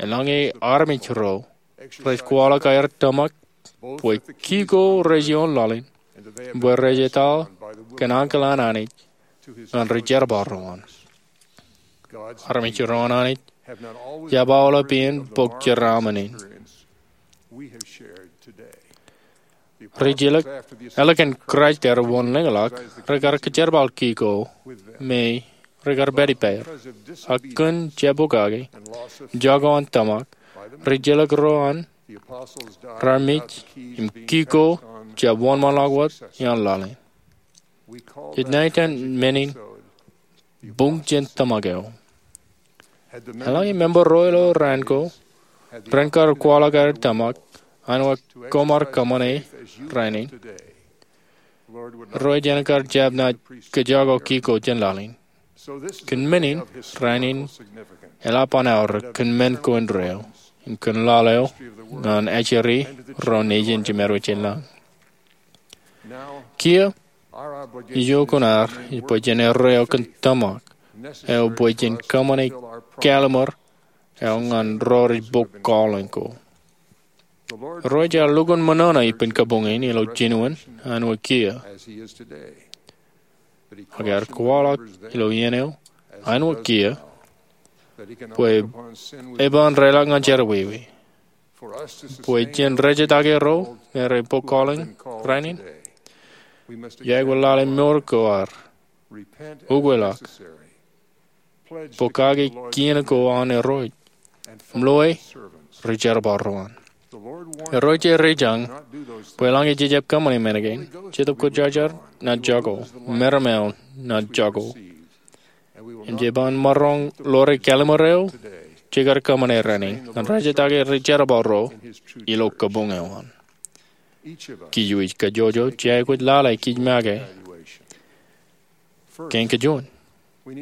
Eḷaññe armej ro rej kwaḷọk aer tōmak bwe kiko rej ioon laḷ in, bwe rej etal kōn ankilaaṇ Anij ñan ri jerbal ro an. Armej ro an Anij jab aolep iien bōk jeraaṃṃan in. Ri jilōk, ālikin Kraist ear wōnḷōñḷọk, rekar kōjerbal kiko me rekar pād ippāer. Ak kōn jab pokake, jako an tōmak, ri jilōk ro an raar mej im kiko jab wōnṃaanḷọk wōt ioon laḷ in. Jej ṇa iten men in buñ jān tōmak eo. Eḷaññe member ro ilo raan ko ren kar kwaḷọk aer tōmak, āinwōt koṃ ar kōṃṃane rainin, Irooj en ekkar jab naaj kōjako kiko jān laḷ in. Kōn men in, rainin eḷap an aorōk kōn men ko indeeo im kōn laḷ eo ñan ajri ro nejin jemād wōj jān lañ. Kiiō, ijo kuṇaar ej bwe jen erreo kōn tōmak eo bwe jen kōṃṃane kallimur eo ñan ro rej bōk calling ko. Irooj ear lukkuun ṃōṇōṇō ippān kōbuñ in ilo jinoin āinwōt kiiō. Ak ear kwaḷọk ilo iien eo āinwōt kiiō bwe eban reiḷọk ñan jerọwiwi. Bwe jen rejetake ro me rej bōk calling rainin, iọkwe lale mour ko ad, ukeḷọk, pokake kien ko an Irooj, im loe ri jerbal ro an. Irooj ej rijañ bwe eḷaññe jej jab kōṃṃane men kein, Jetōb Kwōjarjar naaj jako, meram eo naaj jako. Im jeban maroñ ḷoore kallimur eo jekar kōṃṃane rainin ñan rejetake ri jerbal ro ilo kōbuñ eo an. Kij wōj kajjojo jej aikuj lale kij make. Kein kajuon,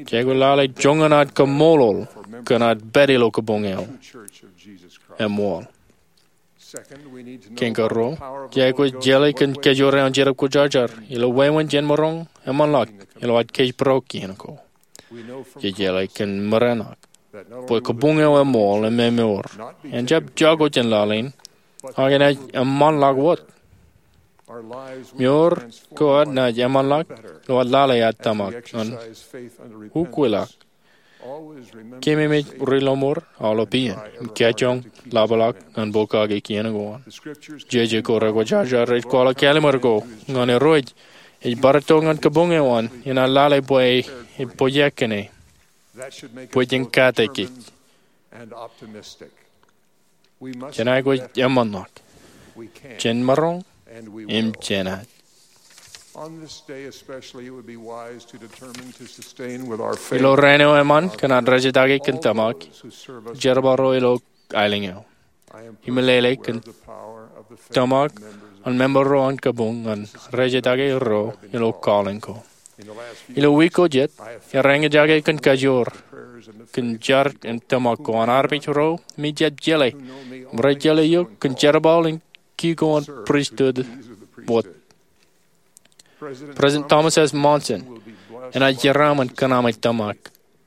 jej aikuj lale joñan ad kaṃṃoolol kōn ad pād ilo kōbuñ eo emool. Kein karuo, jej aikuj jeḷā kōn kajoor eo an Jetōb Kwōjarjar ilo wāween jān maroñ eṃṃanḷọk ilo ad kōjparok kien ko. Jej jeḷā kōn mereṇak bwe kōbuñ eo emool im emoor en jab jako jān laḷ in, Ak enaaj eṃṃanḷọk wōt. Mour ko ad naaj eṃṃanḷọk ilo ad lale ad tōmak ñan ukweḷọk. Keememej ri-lọmọọr aolep iien im kajjoñ ḷapḷọk ñan bōk kake kien ko an. Jeje ko rekwōjarjar ej kwaḷọk kallim̧ur ko ñan Irooj ej bar itok ñan kabuñ eo an enaaj lale bwe ej pojak kōn e, bwe jen kate kōj. Jen aikuj eṃṃanḷọk. Jen maroñ im jenaaj. Ilo raan eo eṃṃan kōn ad rejjitōk kōn tōmak jerbal ro ilo aelōñ eo. Im meḷeḷe kōn tōmak an member ro an kabuñ ñan rejjitōk ro ilo calling ko. Ilo wiik ko jet, iar eñjake kōn kajoor kōn jar im tōmak ko an armej ro me ij jab jeḷā im rej jeḷā eok kōn jerbal in ki ko an pristut wōt. President Thomas S. Monson enaaj jeraaṃṃan kōn ami tōmak.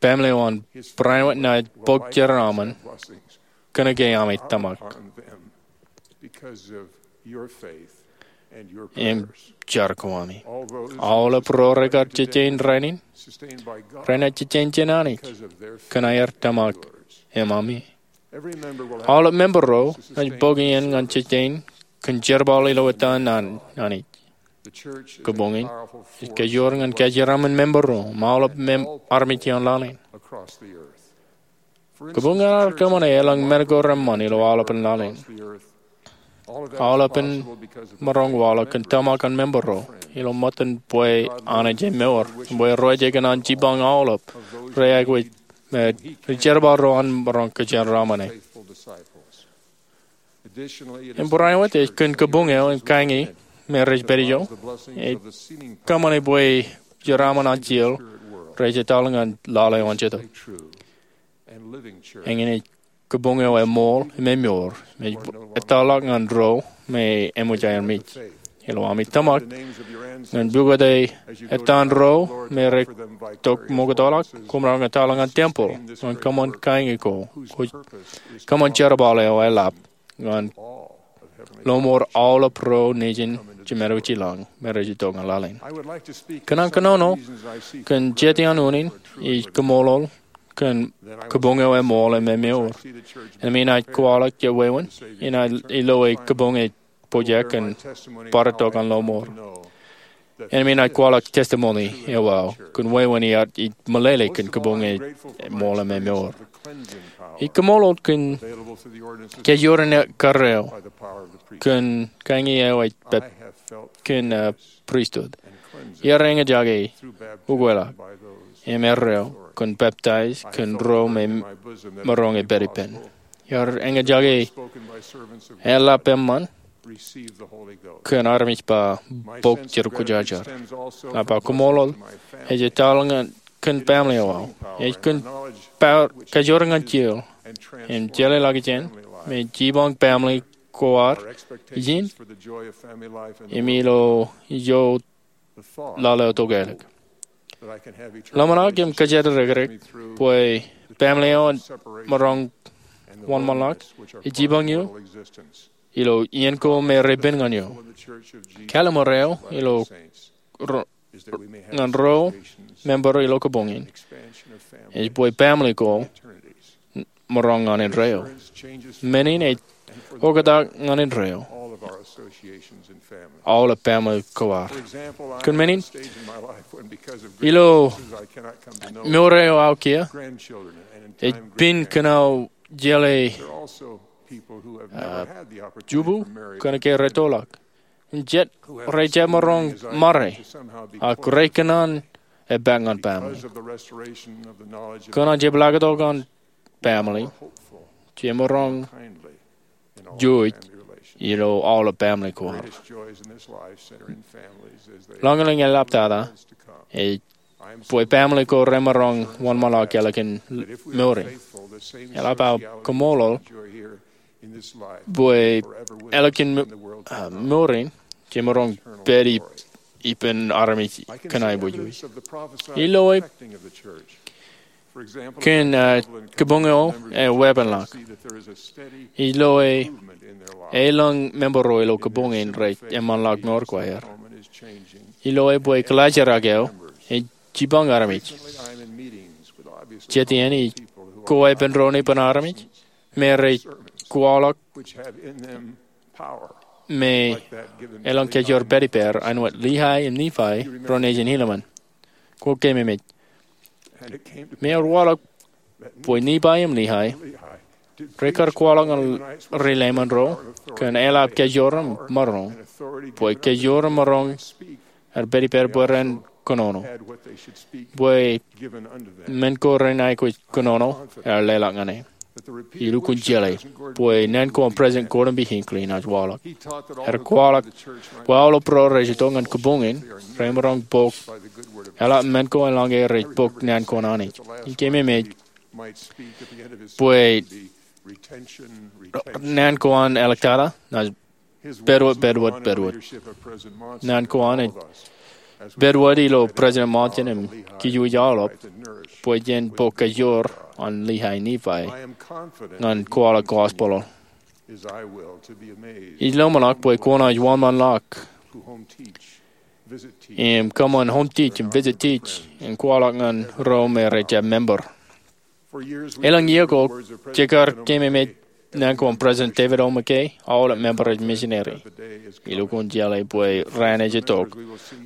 Baaṃle eo an Brian White enaaj bōk jeraaṃṃan kōnke ami tōmak im jar ko ami. Aolep ro rekar jejein rainin, renaaj jejein jān Anij kōn aer tōmak im ami. Aolep member ro rej bōk iien ñan jejein kōn jerbal ilo etan an Anij. Kabuñ in ej kajoor ñan kajeraṃṃan member ro im aolep armej ioon laḷ in. Kabuñ in ear kōṃṃane elōñ men ko reṃṃan ilo aolepān laḷ in. Aolepān maroñ waḷọk kōn tōmak an member ro ilo ṃōttan bwe Anij e mour im bwe ro rej kōṇaan jipañ aolep ro aikuj me ri-jerbal ro an maroñ kōjeraaṃṃan e. Im Brian White ej kōn kabuñ eo im kañi me rej pād ijo, ej kōṃṃane bwe jeraaṃṃan an jeḷ rej etal ñan laḷ eo an Jetōb. Eñin ej kabuñ eo eṃool im emour im ej ettoḷọk ñan ro me eṃōj aer mej. Ilo ami tōmak ñan pukot etan ro me retok ṃoktoḷọk, koṃ maroñ ettoḷọk ñan tempeḷ ñan kōṃṃan kañi ko, kōṃṃan jerbal eo eḷap ñan lọmọọr aolep ro nejin Jemān eo ej jilañ me rej itok ñan laḷ in. Kōṇaan kōnono kōn jet iaan unin ij kaṃṃoolol kōn kabuñ eo eṃool im emour. Enaaj kwaḷọk jet wāween, enaaj ilo e kabuñ ej pojak kōn bar itok ñan lọmọọr. Enaaj kwaḷọk testimony eo aō kōn wāween iar ij meḷeḷe kōn kabuñ eo eṃool im emour. Ij kaṃṃoolol kōn kajoor in ekkar eo kōn kañi eo ej pād kōn pristut. Iar eñjake ukweḷọk im erreo kōn peptaij kōn ro me maroñ e pād ippān. Iar eñjake eḷap eṃṃan kōn armej ba bok Jerusalem. Eḷap aō kaṃṃoolol ej etal kōn baaṃle eo aō. Ej kōn kajoor ñan jeoḷ im jeḷā ḷọkjeṇ me jipañ baaṃle ko ad ijin im ilo ijo laḷ eo tokālik. Ḷōmṇak im kōjatdikdik bwe baaṃle eo an maroñ wōnṃaanḷọk ej jipañ eō ilo iien ko me repen ñan eō. Kallim̧ur eo ilo ñan ro member ilo kabuñ in ej bwe baaṃle ko maroñ ñan indeeo. Men in ej oktak ñan indeeo aolep baaṃle ko ad. Kōn men in, ilo mour eo aō kiiō, ej pād kōn aō jeḷā jubu kōnke rettoḷọk. Im jet rej jab maroñ ṃare, ak rej kōṇaan epaak ñan baaṃle. Kōn an jepḷaaktok an baaṃle, jemaroñ juj ilo aolep baaṃle ko ad. Lañlōñ eḷaptata ej bwe baaṃle ko remaroñ wōnṃaanḷọk ālikin mour in. Eḷap aō kaṃṃoolol bwe ālikin mour in jemaroñ pād ippān armej kōn aebōjoj. Ilo e Kōn, uh, kabuñ eo eweepenḷọk, ij loe elōñ member ro ilo kabuñ in rej eṃṃanḷọk mour ko aer. Ij loe bwe kaḷaajrak eo ej jipañ armej. Jet iien ij koweepen ro ippān armej me rej kwaḷọk me elōñ kajoor pād ippāer āinwōt Lehi im Nephi ro nejin Helaman. Kwō kememej. Me ear waḷọk bwe Nephi im Lehi rekar kwaḷọk ñan ri-Leiman ro kōn eḷap kajoor im maroñ, bwe kajoor im maroñ ear pād ippāer bwe ren kōnono, bwe men ko ren aikuj kōnono ear leḷọk ñan e. Ij lukkuun jeḷā bwe naan ko an President Gordon B. Hinckley enaaj waḷọk. Ear kwaḷọk bwe aolep ro rej itok ñan kabuñ in remaroñ bok eḷap men ko eḷaññe rej bok naan ko an Anij. Ij kememej bwe naan ko an āliktata naaj pedwōj, pedwōj, pedwōj. Naan ko an ej pedwōj ilo President Monson im kōj aolep bwe jen bok kajoor an Lehi Nephi ñan kwaḷọk gospel. Ij lōmṇak bwe kwōnaaj wōnṃaanḷọk im kōṃṃan home teach im visit teach im kwaḷọk ñan ro me rej jab member. Elōñ iiō ko jekar kememej naan ko an President David O. McKay, aolep member ej misineri. Ij lukkuun jeḷā bwe raan ej itok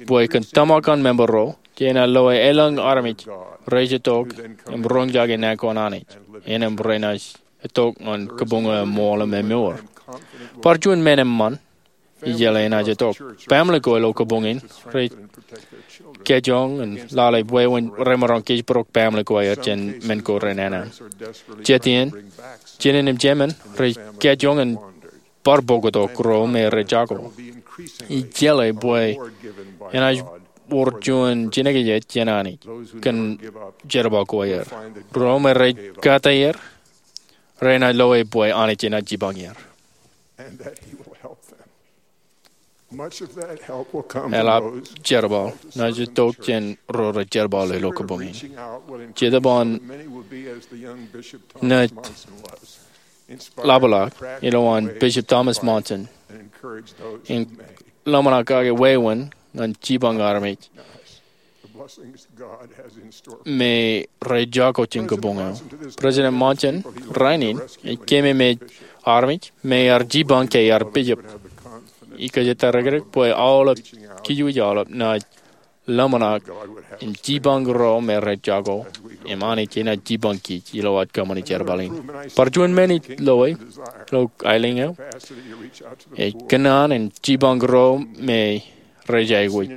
bwe kōn tōmak an member ro, jenaaj loe elōñ armej rej itok im roñjake naan ko an Anij, innām renaaj itok ñan kabuñ eo eṃool im emour. Bar juon men eṃṃan ij jeḷā enaaj itok. Baaṃle ko ilo kabuñ in rej kajjoñ im lale wāween remaroñ kōjparok baaṃle ko aer jān men ko renana. Jet iien, jinen im jemān rej kajjoñ im bar bōktok ro me rej jako. Ij jeḷā bwe enaaj wōr juon jinōkjeik jān Anij kōn jerbal ko aer. Ro me rej kata er renaaj loe bwe Anij enaaj jipañ er. Eḷap jerbal naaj itok jān ro rej jerbal ilo kabuñ in. Jetōb an naaj ḷapḷọk ilowaan Bishop Thomas Monson in ḷōmṇak kake wāween ñan jipañ armej me rej jako jān kabuñ eo. President Monson rainin ej kememej armej me ear jipañ ke ear bishop. Ij kōjatdikdik bwe aolep kōj aolep naaj ḷōmṇak im jipañ ro me rej jako im Anij enaaj jipañ kōj ilo ad kōṃṃani jerbal in. Bar juon men ij loe ilo aelōñ eo ej kōṇaan in jipañ ro me rej aikuj.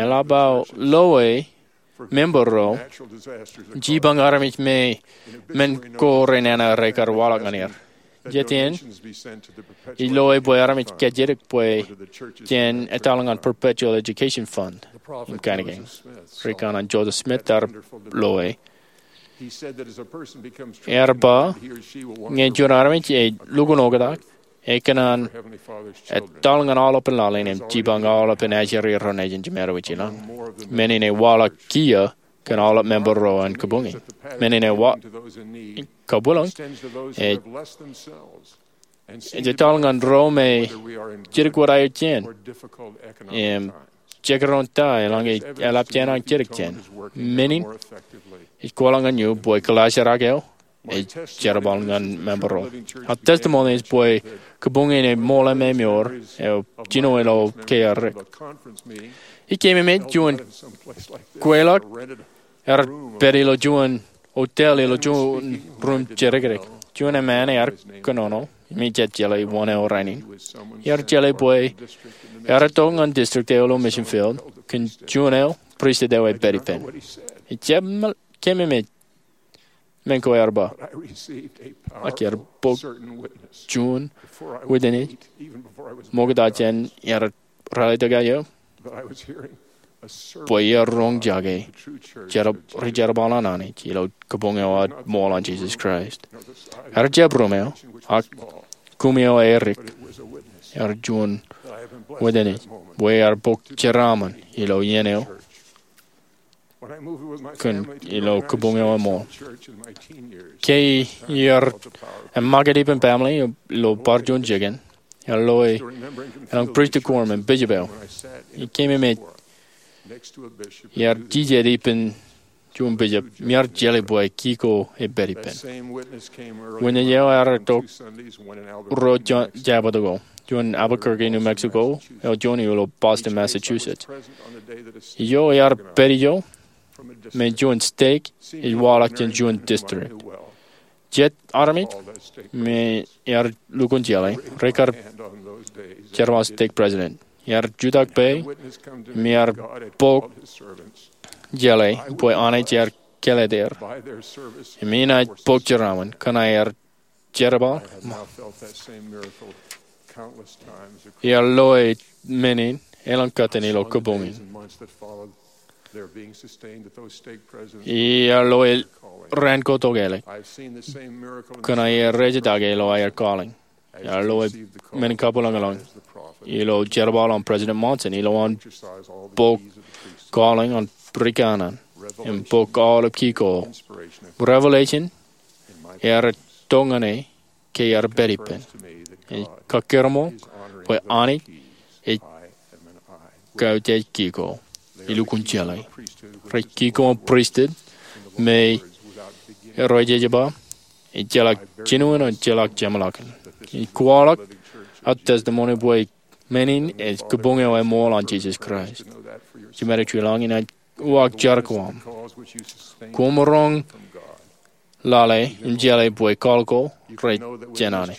Eḷap aō loe member ro jipañ armej me men ko renana rekar waḷọk ñan er. Jet iien ij loe bwe armej kajjitōk bwe jen etal ñan Perpetual Education Fund im kain kein. Ri-kōṇaan Joseph Smith ear loe. Ear ba ñe juon armej ej lukkuun oktak, ekōṇaan etal ñan aolepān laḷ in im jipañ aolepān ajri ro nejin jiṃa wōt ilañ. Men in ewaḷọk kiiō kōn aolep member ro an kabuñ in. Men in ewaḷọk kabwilōñ ej ej etal ñan ro me jidik wōt aer jān im jekdọọn ta eḷaññe eḷap jān an jidik jān. Men in ej kwaḷọk ñan eō bwe kaḷaajrak eo ej jerbal ñan member ro. Aō testimony ej bwe kabuñ in eṃool im emour eo jino ilo kōjerbal. Ij kememej juon kweilọk ear pād ilo juon hotel ilo juon ruum jidikdik. Juon emān ear kōnono im ij jab jeḷā wōn eo rainin. Ear jeḷā bwe ear itok ñan district eo ilo mission field kōn juon eo pristut eo ej pād ippān. Ij jab kememej men ko ear ba, ak ear bōk juon witness ṃokta jān ear ralitōk aō bwe ear roñjake ri-jerbal an Anij ilo kabuñ eo ad ṃool an Jesus Christ. Ear jab ruum eo, ak kuṃ eo erik, ear juon witness bwe ear bōk jeraaṃṃan ilo iien eo kōn ilo kōbuñ eo eṃool. Ke iar eṃṃakūt ippān baaṃle ilo bar juon jikin, ear loe elōñ pristut quorum im bishop eo. Ikememej iar jijet ippān juon bishop im iar jeḷā bwe kiko epād ippān. Witness eo ear itok ruo Jabōt ago, juon Albuquerque, New Mexico, eo juon ilo Boston, Massachusetts. Ijo ear pād ijo me juon stek ej waḷọk jān juon district. Jet armej me ear lukkuun jeḷā rekar jerbal stek president. Ear jutak pā im ear bōk jeḷā bwe Anij ear kāālōt er im inaaj bōk jeraaṃṃan. Kōn aer jerbal, ear loe men in elōñ kōttan ilo kōbuñ in. Ear loe raan ko tok ālikin kōn aer rej jitōñ ilo aer calling. Ear loe men in kabwilōñlōñ ilo jerbal an President Monson ilowaan bōk calling an rikanaan im bōk aolep kiko. Revelation ear itok ñan e ke ear pād ippān. Ej kakūrmool bwe Anij ej kautiej kiko. Ilukkuun jeḷā rej kiko im pristut me rej ej ba ejjeḷọk jinoin, ejjeḷọk jeṃḷọkin. Ij kwaḷọk aō testimony bwe men in ej kōbuñ eo eṃool an Jesus Christ. Jemād eo juon, inaaj uwaak jar ko aṃ. Koṃ roñ lale im jeḷā bwe call ko rej jān Anij.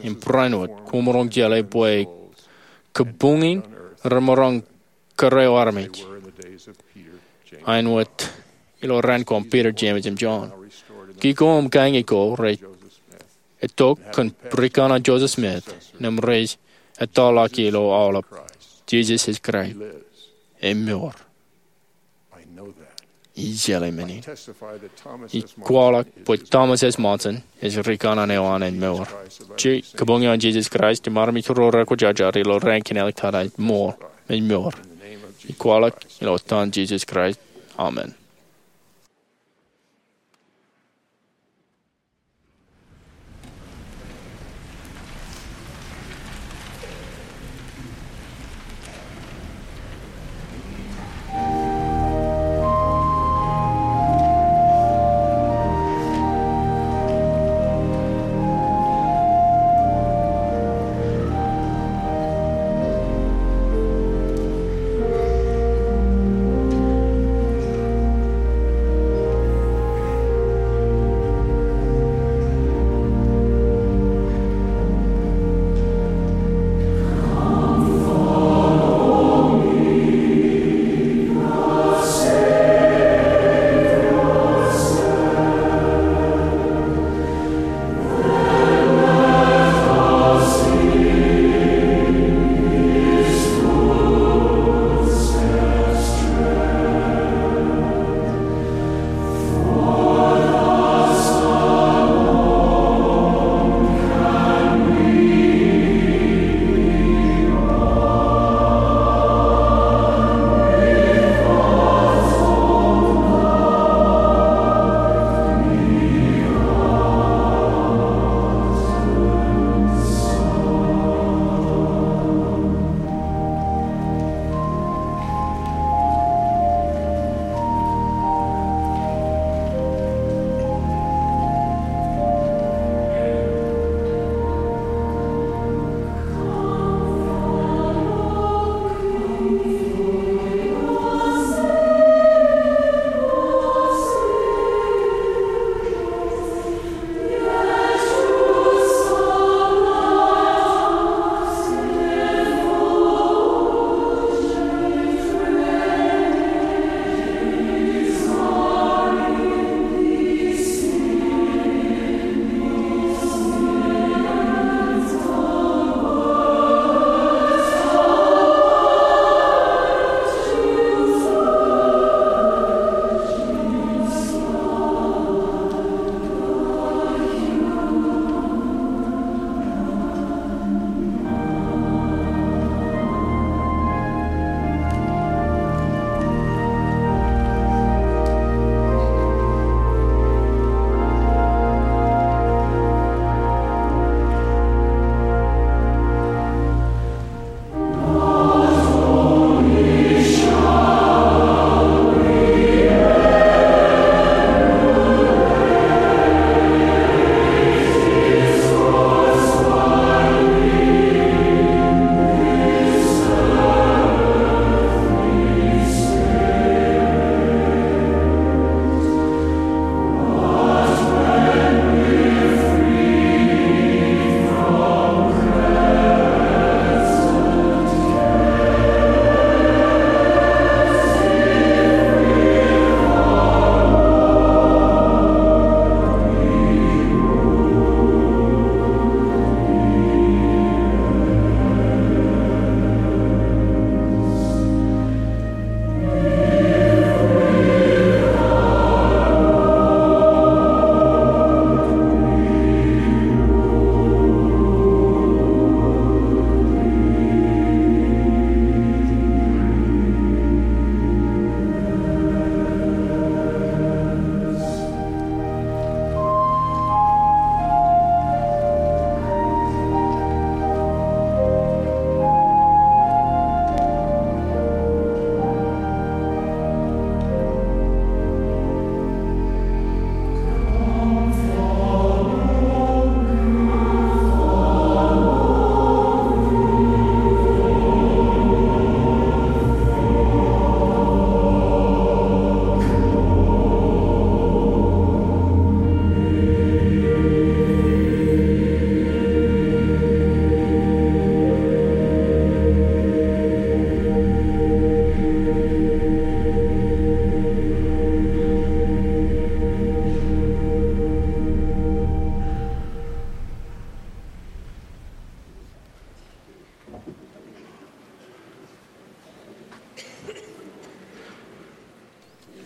Im barāinwōt koṃ roñ jeḷā bwe kōbuñ in remaroñ kōrā eo armej āinwōt ilo raan ko an Peter, James im John. Kiko im kañi ko rej itok kōn rikanaan Joseph Smith im rej ettoḷọk ilo aolep. Jesus ej Kraist. Emour. Ij jeḷā men in. Ij kwaḷọk bwe Thomas S. Monson ej rikanaan eo an emour. Ij kōbuñ eo an Jesus Christ im armej ro rekwōjarjar ilo raan kein āliktata ej mour, ej mour. Ij kwaḷọk ilo etan Jesus Christ. Amen.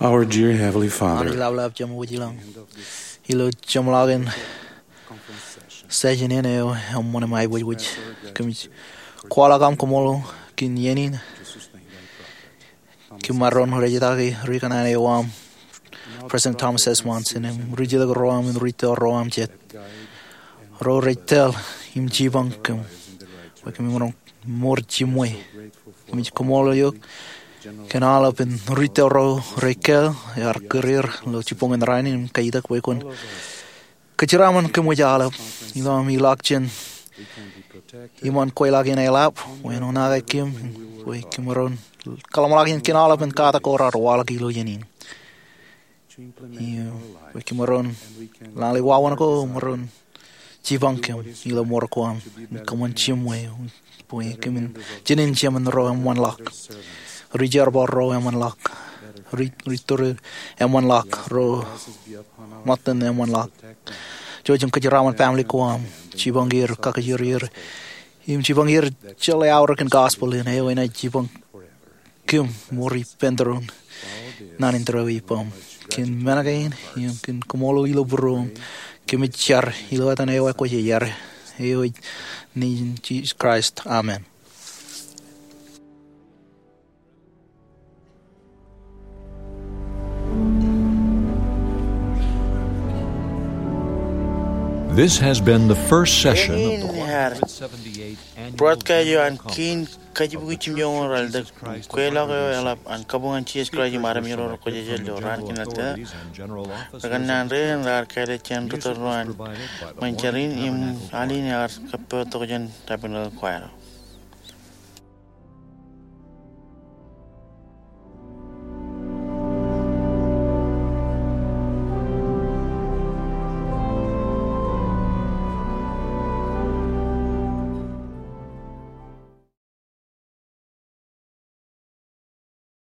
Our dear Heavenly Father, Anij Ḷapḷap Jemem wōj ilañ, ilo jeṃḷọkin session in eo eṃṃan im aiboojoj, kōmij kwaḷọk aṃ kaṃṃoolol kōn iien in. Kōm maroñ rejjitōk ri kanaan eo aṃ, President Thomas S. Monson, im ri jilkinḷọk ro aṃ im ri tōl ro aṃ jet, ro rej tōl im jipañ kōm bwe kōm maroñ ṃor jiṃwe. Kōmij kaṃṃoolol eok kōn aolep in ri tōl ro rej keel ear kūr er ilo jibboñin rainin im kajjitōk bwe kwōn kōjeraaṃṃan kōm wōj aolep ilo aṃ ilọk jān iṃaan kweilọk in eḷap bwe en oṇaake kōm bwe kōm maroñ kōḷmānḷọkjeṇ kōn aolep in katak ko raar waḷọk ilo iien in. Im bwe kōm maroñ lale wāween ko, maroñ jipañ kōm ilo ṃor ko aṃ, kōṃṃan jiṃwe, bwe kōmin jinen jemān ro eṃṃanḷọk, ri jerbal ro eṃṃanḷọk, ri, ri tōre eṃṃanḷọk, ro ṃōttan eṃṃanḷọk. Jouj im kōjeraaṃṃan family ko aṃ, jipañ er, kakōjor er, im jipañ er jeḷā aorōk in gospel in, eo enaaj jipañ kōm ṃor ippān tōre in naan in tōre eo ippaṃ. Kōn men kein im kōn kaṃṃoolol ilo būruōṃ, kōmij jar ilo etan eo ekwōj aer, eo ej nejin Jisōs Kraist. Amen. This has been the first session of the Eñin ear broadcast eo an kiin kajjibukwi jimjuonñoul ralitōk, kweilọk eo eḷap an kabuñ an Jisōs Kraist im armej ro rekwōjarjar ilo raan kiin ḷọk tōre. Ri kōnnaan rein raar kāālōt jān ri tōl ro an ṃōn jar in im al in ear kōppootok jān Tabernacle Choir.